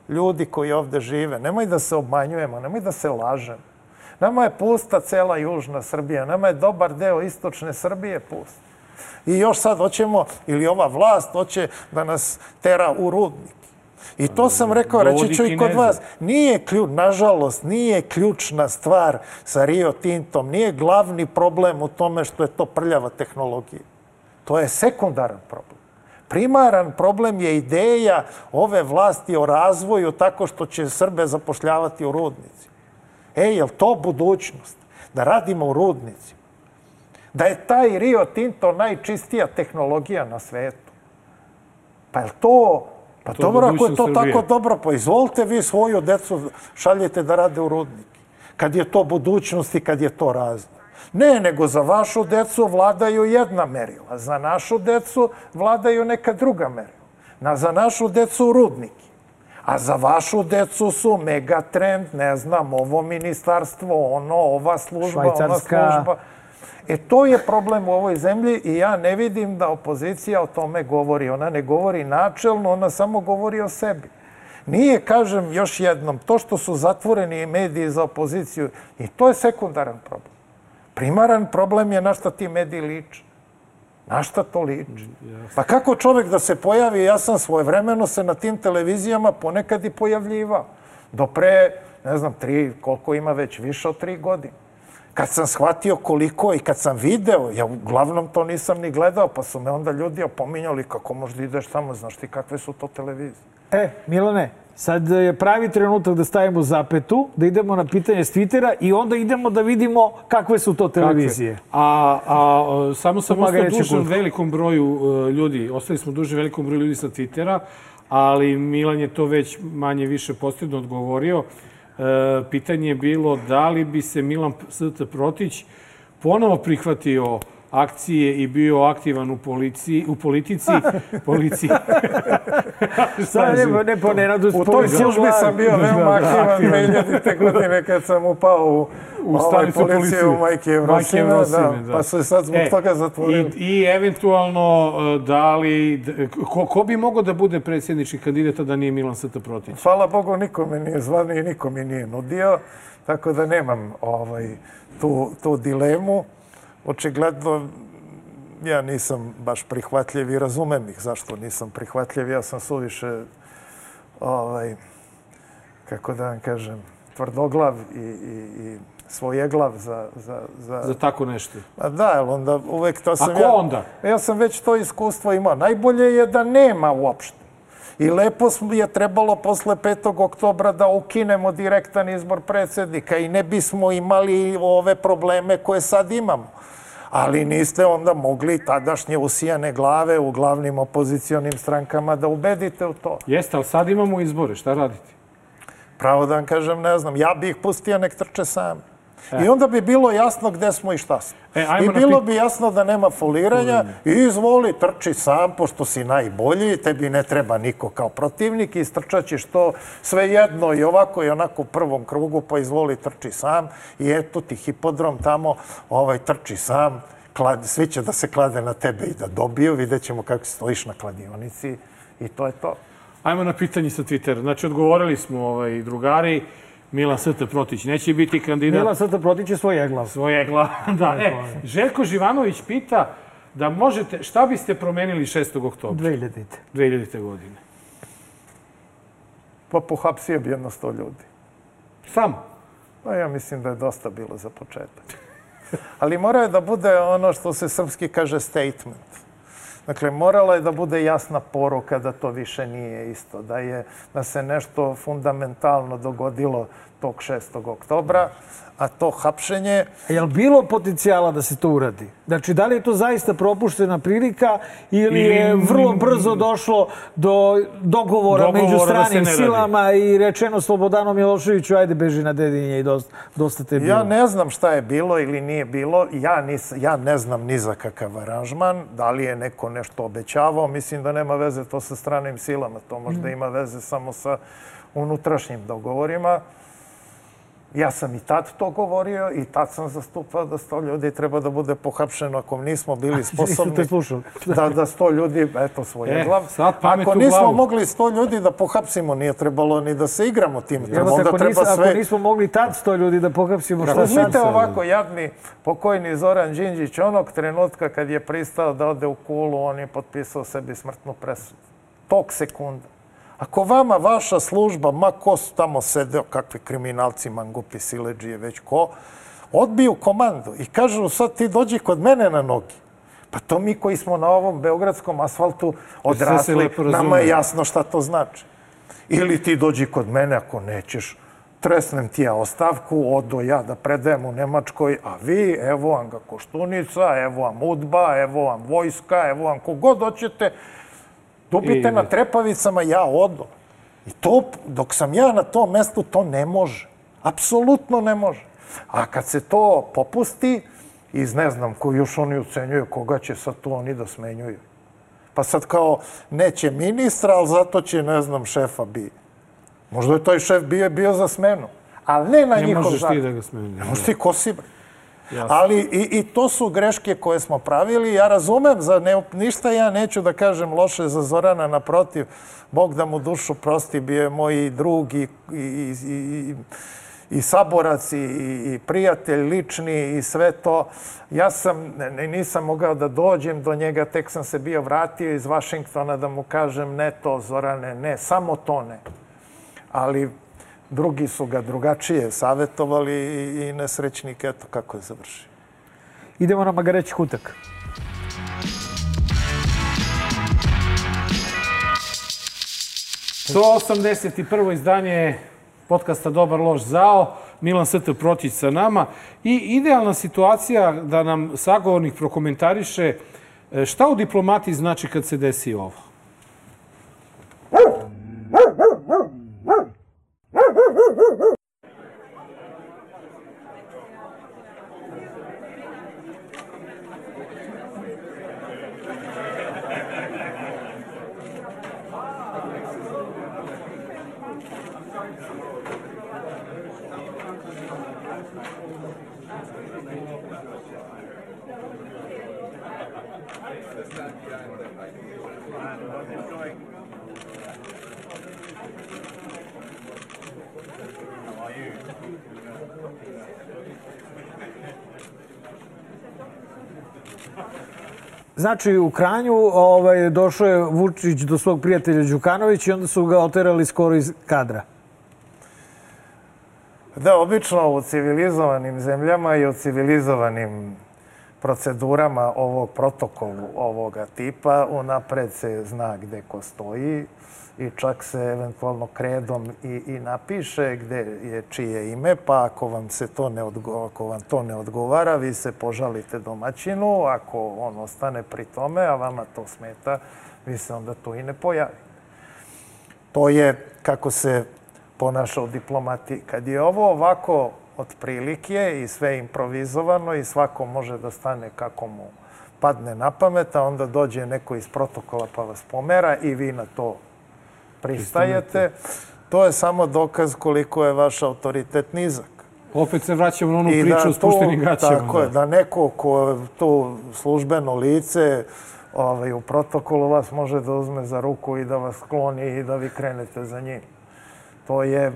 Ljudi koji ovde žive. Nemoj da se obmanjujemo, nemoj da se lažemo. Nama je pusta cela južna Srbija, nama je dobar deo istočne Srbije pust. I još sad hoćemo, ili ova vlast hoće da nas tera u rudnik. I to sam rekao, reći ću i kod vas. Nije ključ, nažalost, nije ključna stvar sa Rio Tintom, nije glavni problem u tome što je to prljava tehnologija. To je sekundaran problem. Primaran problem je ideja ove vlasti o razvoju tako što će Srbe zapošljavati u rudnici. Ej, je li to budućnost? Da radimo u rudnici. Da je taj Rio Tinto najčistija tehnologija na svetu. Pa je li to... Pa dobro, ako je to tako dobro, pa izvolite vi svoju decu šaljete da rade u rudnike. Kad je to budućnost i kad je to razno. Ne, nego za vašu decu vladaju jedna merila. Za našu decu vladaju neka druga merila. Za našu decu rudniki. A za vašu decu su Megatrend, ne znam, ovo ministarstvo, ono, ova služba, ona služba. E, to je problem u ovoj zemlji i ja ne vidim da opozicija o tome govori. Ona ne govori načelno, ona samo govori o sebi. Nije, kažem još jednom, to što su zatvoreni mediji za opoziciju, i to je sekundaran problem. Primaran problem je na šta ti mediji liče. Na šta to liči? Pa kako čovjek da se pojavi, ja sam svojevremeno se na tim televizijama ponekad i pojavljivao. Do pre, ne znam, tri, koliko ima već, više od tri godine. Kad sam shvatio koliko i kad sam video, ja uglavnom to nisam ni gledao, pa su me onda ljudi opominjali kako možda ideš tamo, znaš ti kakve su to televizije. E, Milane, sad je pravi trenutak da stavimo zapetu, da idemo na pitanje s Twittera i onda idemo da vidimo kakve su to televizije. A, a samo sam ostao dužan velikom broju ljudi, ostali smo dužni velikom broju ljudi sa Twittera, ali Milan je to već manje više posredno odgovorio. Pitanje je bilo da li bi se Milan St. Protić ponovo prihvatio akcije i bio aktivan u policiji, u politici, policiji. Sad ne, ne po Nenadu U toj službi sam bio veoma aktivan dve hiljadite. godine kad sam upao u, u ovaj policije u Majke Evrosime, da, pa se sad zbog e, toga zatvorili. I, I eventualno da li, ko, ko bi mogao da bude predsjednički kandidat da nije Milan St. Protić? Hvala Bogu, nikome nije zvani i nikome nije nudio, tako da nemam ovaj, tu, tu dilemu. Očigledno, ja nisam baš prihvatljiv i razumem ih zašto nisam prihvatljiv. Ja sam suviše, ovaj, kako da vam kažem, tvrdoglav i, i, i svojeglav za, za, za... Za tako nešto. A da, ali onda uvek to sam... A ko ja, onda? Ja sam već to iskustvo imao. Najbolje je da nema uopšte. I lepo je trebalo posle petog oktobra da ukinemo direktan izbor predsjednika i ne bismo imali ove probleme koje sad imamo. Ali niste onda mogli tadašnje usijane glave u glavnim opozicionim strankama da ubedite u to. Jeste, ali sad imamo izbore, šta raditi? Pravo da vam kažem, ne znam. Ja bih ih pustio nek trče sami. I onda bi bilo jasno gde smo i šta smo. I bilo bi jasno da nema foliranja i izvoli, trči sam, pošto si najbolji, tebi ne treba niko kao protivnik i istrčat ćeš to sve jedno i ovako i onako u prvom krugu, pa izvoli, trči sam i eto ti hipodrom tamo, ovaj, trči sam, svi će da se klade na tebe i da dobiju, vidjet ćemo kako stojiš na kladionici i to je to. Ajmo na pitanje sa Twittera. Znači, odgovorili smo drugari, Milan S T Protić neće biti kandidat. Milan S T Protić je svoj eglav. Svoj eglav, da. E, Željko Živanović pita da možete, šta biste promenili šestog oktobra? dve hiljadite. dve hiljadite godine. Pa pohapsio bi jedno sto ljudi. Samo? Pa ja mislim da je dosta bilo za početak. Ali mora je da bude ono što se srpski kaže statement. Dakle, morala je da bude jasna poruka da to više nije isto, da je, da se nešto fundamentalno dogodilo tog šestog oktobra, a to hapšenje... Je li bilo potencijala da se to uradi? Znači, da li je to zaista propuštena prilika ili je vrlo brzo došlo do dogovora među stranim silama i rečeno Slobodanu Miloševiću, ajde beži na Dedinje i dosta te bilo? Ja ne znam šta je bilo ili nije bilo. Ja ne znam ni za kakav aranžman. Da li je neko nešto obećavao? Mislim da nema veze to sa stranim silama. To možda ima veze samo sa unutrašnjim dogovorima. Ja sam i tad to govorio i tad sam zastupao da sto ljudi treba da bude pohapšeno ako nismo bili sposobni da sto ljudi, eto svoje glav. Ako nismo mogli sto ljudi da pohapsimo, nije trebalo ni da se igramo tim. Ako nismo mogli tad sto ljudi da pohapsimo, šta sad? Uzmite ovako, jadni pokojni Zoran Đinđić, onog trenutka kad je pristao da ode u Kulu, on je potpisao sebi smrtnu presudu. Tog sekunda. Ako vama vaša služba, ma ko su tamo sedeo, kakvi kriminalci, mangupi, siledžije, već ko, odbiju komandu i kažu sad ti dođi kod mene na nogi. Pa to mi koji smo na ovom beogradskom asfaltu odrasli, nama je jasno šta to znači. Ili ti dođi kod mene ako nećeš, tresnem ti ja ostavku, odo ja da predajem u Nemačkoj, a vi, evo vam ga Koštunica, evo vam Udba, evo vam vojska, evo vam kogod hoćete, dobite na trepavicama, ja odo. I to, dok sam ja na tom mestu, to ne može. Apsolutno ne može. A kad se to popusti, iz ne znam ko još oni ucenjuju, koga će sad tu oni da smenjuju. Pa sad kao, neće ministra, ali zato će, ne znam, šefa bi. Možda je taj šef bio za smenu. Ali ne na njihov zakon. Ne možeš ti da ga smenju. Ne možeš ti ko si, bre. Ali i to su greške koje smo pravili. Ja razumem, ništa ja neću da kažem loše za Zorana, naprotiv, Bog da mu dušu prosti, bio je moj drug i saborac i prijatelj lični i sve to. Ja sam, nisam mogao da dođem do njega, tek sam se bio vratio iz Vašingtona da mu kažem ne to, Zorane, ne, samo to ne. Ali drugi su ga drugačije savjetovali i nesrećnik, eto kako je završio. Idemo na Magareći kutak. sto osamdeset prvo izdanje podcasta Dobar, loš, zao. Milan S T Protić sa nama. I idealna situacija da nam sagovornik prokomentariše šta u diplomatiji znači kad se desi ovo. Znači, u Kranju došao je Vučić do svog prijatelja Đukanovića i onda su ga oterali skoro iz kadra. Da, obično u civilizovanim zemljama i u civilizovanim procedurama ovog protokolu ovoga tipa unapred se zna gde ko stoji i čak se eventualno kredom i, i napiše gde je čije ime, pa ako vam, se to ne odgo, ako vam to ne odgovara, vi se požalite domaćinu, ako on ostane pri tome, a vama to smeta, vi se onda tu i ne pojavite. To je kako se ponaša u diplomatiji. Kad je ovo ovako otprilike i sve improvizovano i svako može da stane kako mu padne na pamet, a onda dođe neko iz protokola pa vas pomera i vi na to pristajete, to je samo dokaz koliko je vaš autoritet nizak. Opet se vraćamo na onu priču o spuštenim gaćama. Tako je, da neko ko je to službeno lice ovaj, u protokolu vas može da uzme za ruku i da vas skloni i da vi krenete za njim. To je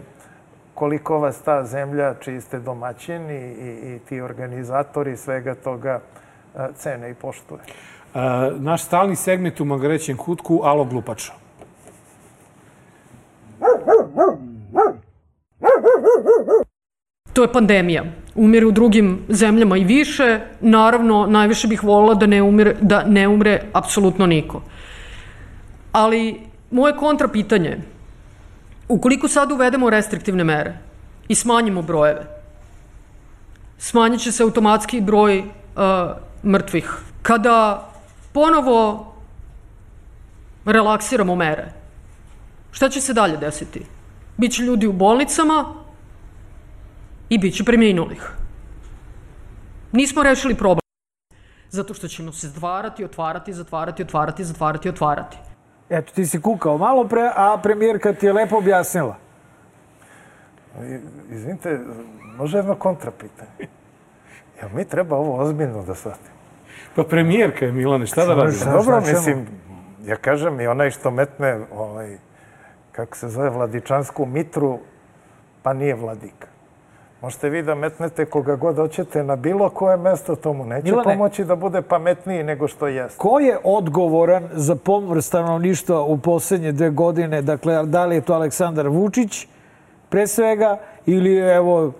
koliko vas ta zemlja, čiji ste domaćin i, i, i ti organizatori svega toga cene i poštuje. E, naš stalni segment u Magarećem kutku, alo glupača. To je pandemija. Umire u drugim zemljama i više. Naravno, najviše bih voljela da ne umre, da ne umre apsolutno niko. Ali moje kontrapitanje je, ukoliko sad uvedemo restriktivne mere i smanjimo brojeve, smanjit će se automatski broj uh, mrtvih. Kada ponovo relaksiramo mere, šta će se dalje desiti? Biće ljudi u bolnicama i bit će preminulih. Nismo rešili problem. Zato što ćemo se zatvarati, otvarati, zatvarati, otvarati, zatvarati, otvarati. Eto, ti si kukao malo pre, a premijerka ti je lepo objasnila. Izvinite, može jedno kontrapitanje. Jel mi treba ovo ozbiljno da shvatimo? Pa premijerka je, Milane, šta da radi? Dobro, mislim, ja kažem i onaj što metne, ovaj, kako se zove, vladičansku mitru, pa nije vladika. Možete vi da metnete koga god hoćete na bilo koje mesto, tomu neće Milane, pomoći da bude pametniji nego što jeste. Ko je odgovoran za pomor stanovništva u poslednje dve godine? Dakle, da li je to Aleksandar Vučić pre svega ili evo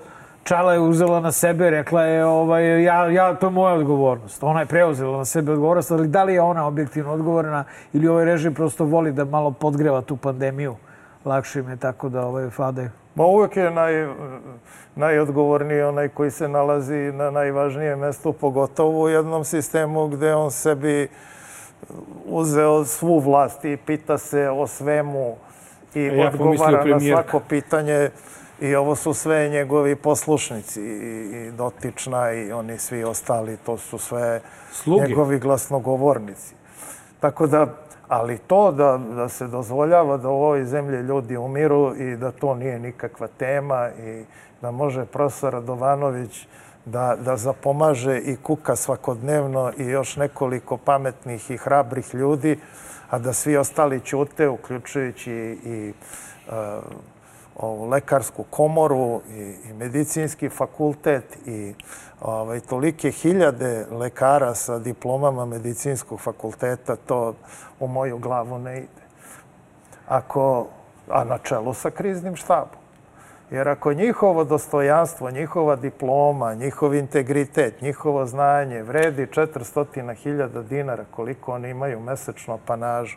Čala je uzela na sebe, rekla je ovaj, ja, ja, to je moja odgovornost. Ona je preuzela na sebe odgovornost, ali da li je ona objektivno odgovorna ili ovaj režim prosto voli da malo podgreva tu pandemiju? Lakše im je tako da ovaj, fade. Ma uvek je naj, najodgovorniji onaj koji se nalazi na najvažnijem mestu, pogotovo u jednom sistemu gde on sebi uzeo svu vlast i pita se o svemu i ja odgovara na svako pitanje. I ovo su sve njegovi poslušnici, i Dotična i oni svi ostali, to su sve Slugi. Njegovi glasnogovornici. Tako da, ali to da, da se dozvoljava da u ovoj zemlji ljudi umiru i da to nije nikakva tema i da može profesor Radovanović da, da zapomaže i kuka svakodnevno i još nekoliko pametnih i hrabrih ljudi, a da svi ostali ćute, uključujući i uh, ovu lekarsku komoru i, i medicinski fakultet i ovaj, tolike hiljade lekara sa diplomama medicinskog fakulteta, to u moju glavu ne ide. Ako, a na čelu sa kriznim štabom. Jer ako njihovo dostojanstvo, njihova diploma, njihov integritet, njihovo znanje vredi četiristo hiljada dinara, koliko oni imaju mesečno apanažu,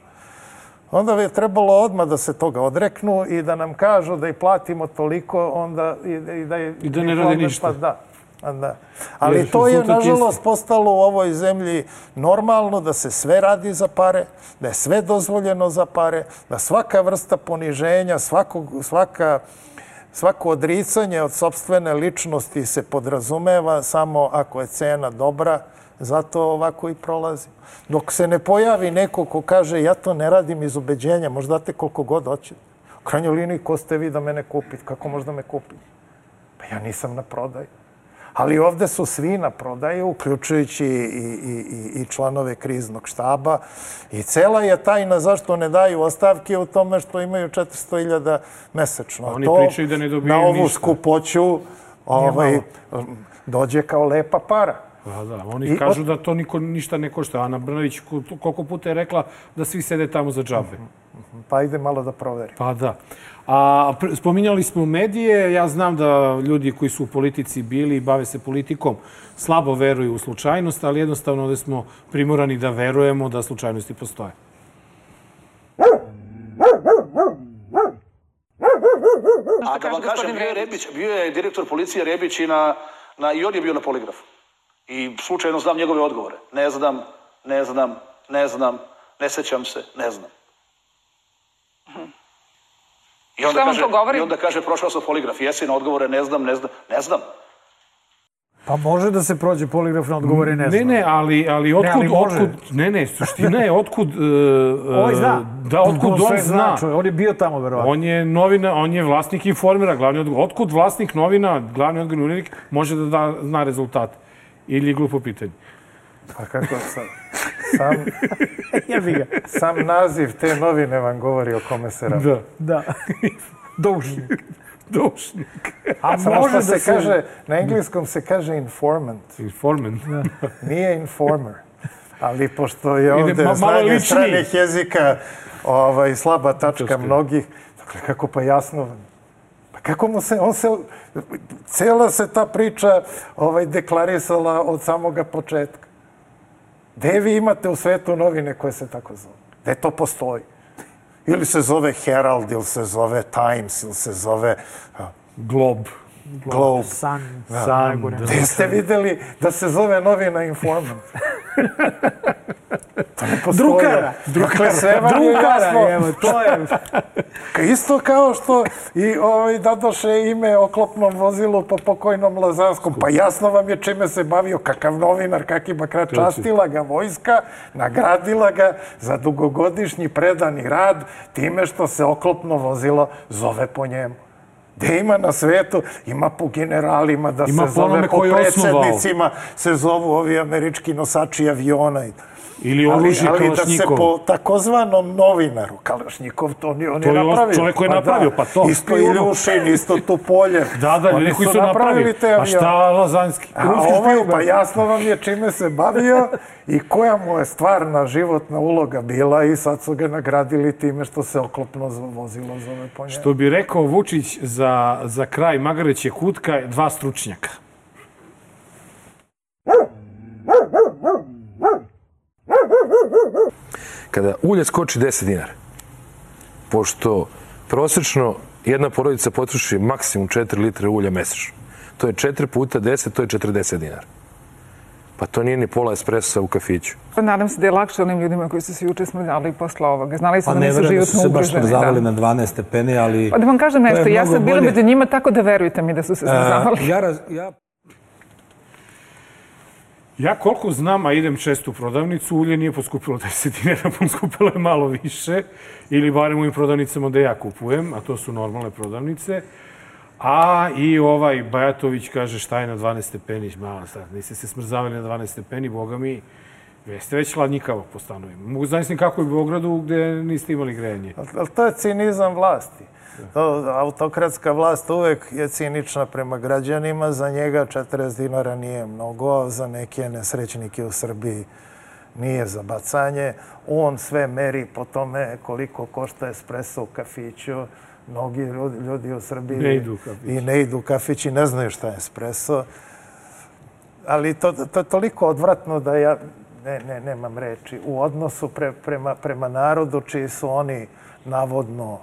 onda bi je trebalo odmah da se toga odreknu i da nam kažu da i platimo toliko, onda i, i da je... I da ne radi ništa. Pa da, pa da. Ali Jer, to je, nažalost, postalo u ovoj zemlji normalno da se sve radi za pare, da je sve dozvoljeno za pare, da svaka vrsta poniženja, svakog, svaka, svako odricanje od sopstvene ličnosti se podrazumeva samo ako je cena dobra. Zato ovako i prolazi. Dok se ne pojavi neko ko kaže ja to ne radim iz ubeđenja, možda date koliko god hoćete. U krajnjoj liniji, ko ste vi da mene kupite? Kako možda me kupite? Pa ja nisam na prodaju. Ali ovde su svi na prodaju, uključujući i, i, i, i članove kriznog štaba. I cela je tajna zašto ne daju ostavke u tome što imaju četiristo hiljada mesečno. Oni to, pričaju da ne dobiju ništa. Na ovu ništa. skupoću ovaj, dođe kao lepa para. Da, da. Oni kažu da to niko ništa ne košta. Ana Brnavić koliko puta je rekla da svi sede tamo za džabe. Pa ide malo da proveri. Pa da. A spominjali smo medije. Ja znam da ljudi koji su u politici bili i bave se politikom slabo veruju u slučajnost, ali jednostavno ovde smo primorani da verujemo da slučajnosti postoje. A da vam kažem, bio je Rebić, bio je direktor policije Rebić i, na, na, i on je bio na poligrafu. I slučajno znam njegove odgovore. Ne znam, ne znam, ne znam, ne sećam se, ne znam. I onda, kaže, I onda kaže, prošao sam poligraf. Jesi na odgovore, ne znam, ne znam, ne znam. Pa može da se prođe poligraf na odgovore, ne znam. Ne, ne, ali, ali otkud, ne, ali otkud, ne, ne, suština je otkud, uh, Ovo zna. Da, otkud on, on zna. zna. On je bio tamo, verovatno. On je novina, on je vlasnik Informera, glavni odgovor. Otkud vlasnik novina, glavni odgovornik, može da, da zna rezultat? Ili je glupo pitanje? Pa kako sam... Sam, sam naziv te novine vam govori o kome se radi. Da. Da. Doušnik. Doušnik. A može da se kaže, na engleskom se kaže informant. Informant. Nije informer. Ali pošto je ovde znanje stranih jezika ovaj, slaba tačka mnogih, dakle, kako pa jasno, pa kako mu se, on se, cijela se ta priča ovaj, deklarisala od samoga početka. Gde vi imate u svetu novine koje se tako zove? Gde to postoji? Ili se zove Herald, ili se zove Times, ili se zove... Globe. Globe. Sun. Sun. Gde ste videli da se zove novina Informant? To ne postoji. Drukara. Drukara. Sve vam je jasno. Evo, to je... Isto kao što i ovaj, dadoše ime oklopnom vozilu po pokojnom Lazanskom. Pa jasno vam je čime se bavio, kakav novinar, kak ima krat. Častila ga vojska, nagradila ga za dugogodišnji predani rad time što se oklopno vozilo zove po njemu. Gde ima na svetu, ima po generalima da se zove, po predsjednicima se zovu ovi američki nosači aviona. Ili oružje Kalašnjikov. Ali da se po takozvanom novinaru, Kalašnjikov, to on je napravio. To je čovjek koji je napravio, pa to. Isto Iljušin, isto Tupoljev. Da, da, ljudi koji su napravili. Pa šta Lazanski? A ovaj, pa jasno vam je čime se bavio i koja mu je stvarna životna uloga bila i sad su ga nagradili time što se oklopno vozilo zove po njemu. Što bi rekao Vučić za, za kraj Magareće kutka, dva stručnjaka. Kada ulje skoči deset dinara, pošto prosečno jedna porodica potroši maksimum četiri litre ulja mesečno, to je četiri puta deset, to je četrdeset dinara. Pa to nije ni pola espresa u kafiću. Nadam se da je lakše onim ljudima koji su se juče smrzali posle ovoga. Znali su da nisu životno ugroženi. Pa ne verujem da su se baš smrzavali na dvanaest stepeni, ali... Pa da vam kažem nešto, ja sam bila među njima, tako da verujte mi da su se smrzavali. Ja... Ja koliko znam, a idem često u prodavnicu, ulje nije poskupilo deset dinara, poskupilo je malo više, ili barem u ovim prodavnicama da ja kupujem, a to su normalne prodavnice. A i ovaj Bajatović kaže šta je na dvanaest stepeni, malo sad, niste se smrzavali na dvanaest stepeni, boga mi, jeste već hladnjikavo po stanovima. Mogu zamisliti kako je u Beogradu gde niste imali grejanje. Ali to je cinizam vlasti. To, autokratska vlast uvek je cinična prema građanima, za njega četrdeset dinara nije mnogo, za neke nesrećnike u Srbiji nije za bacanje. On sve meri po tome koliko košta espresso u kafiću. Mnogi ljudi u Srbiji ne idu i ne idu u kafić i ne znaju šta je espresso. Ali to, to je toliko odvratno da ja ne, ne, nemam reči. U odnosu pre, prema, prema narodu čiji su oni navodno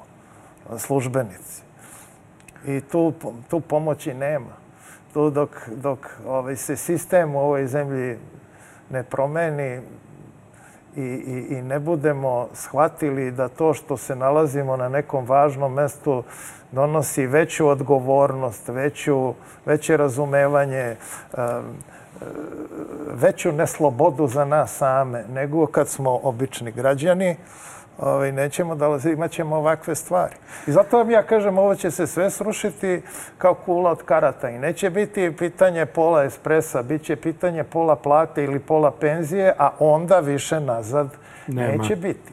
službenici. I tu, tu pomoći nema. Tu dok, dok ovaj, se sistem u ovoj zemlji ne promeni i, i, i ne budemo shvatili da to što se nalazimo na nekom važnom mestu donosi veću odgovornost, veću, veće razumevanje, veću neslobodu za nas same, nego kad smo obični građani, Ovaj, nećemo da imat ćemo ovakve stvari. I zato vam ja kažem, ovo će se sve srušiti kao kula od karata i neće biti pitanje pola espresa, bit će pitanje pola plate ili pola penzije, a onda više nazad Nema. neće biti.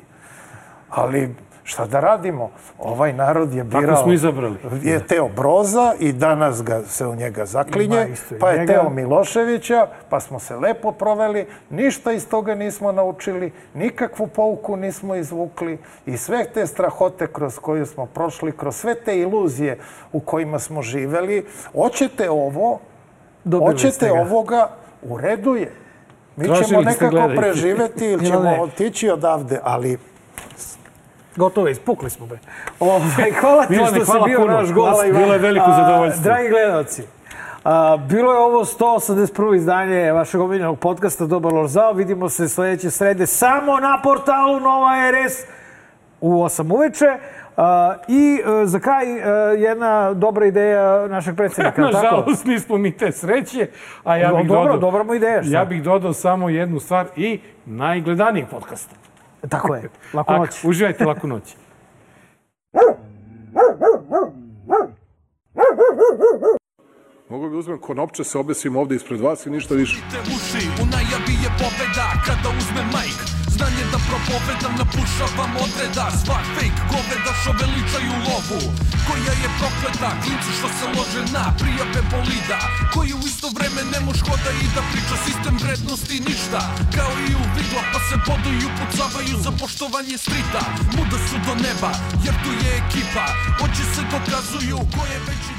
Ali šta da radimo? Ovaj narod je birao... Tako smo izabrali. Je Teo Broza i danas ga se u njega zaklinje, pa je Teo Miloševića, pa smo se lepo proveli, ništa iz toga nismo naučili, nikakvu pouku nismo izvukli i sve te strahote kroz koju smo prošli, kroz sve te iluzije u kojima smo živeli, hoćete ovo, hoćete ovoga, u redu je. Mi ćemo nekako preživeti ili ćemo otići odavde, ali... Gotovo, ispukli smo be. Hvala ti što si bio naš gost. Bilo je veliko zadovoljstvo. Dragi gledalci, bilo je ovo sto osamdeset prvo izdanje vašeg omiljenog podcasta Dobar loš zao. Vidimo se sledeće srede samo na portalu Nova R S u osam uveče. I za kraj jedna dobra ideja našeg predsjednika. Nažalost, nismo mi te sreće. A ja bih dodao, dobra mu ideja. Ja bih dodao samo jednu stvar i najgledanijeg podcasta. Tako je. Laku noć. Uživajte, laku noć. Mogu bi uzmem konopče, se obesim ovde ispred vas i ništa više. U najavi je pobeda kada uzme majk. Znanje da propovedam, napušavam odreda. Svak fake goveda što veličaju lovu. Koja je prokleta, klinci što se lože na prijave bolida. Koji u isto vreme ne moš hoda i da priča sistem vrednosti ništa. Kao i u vidla pa se boduju, pucavaju za poštovanje strita. Muda su do neba jer tu je ekipa. Oči se dokazuju ko je veći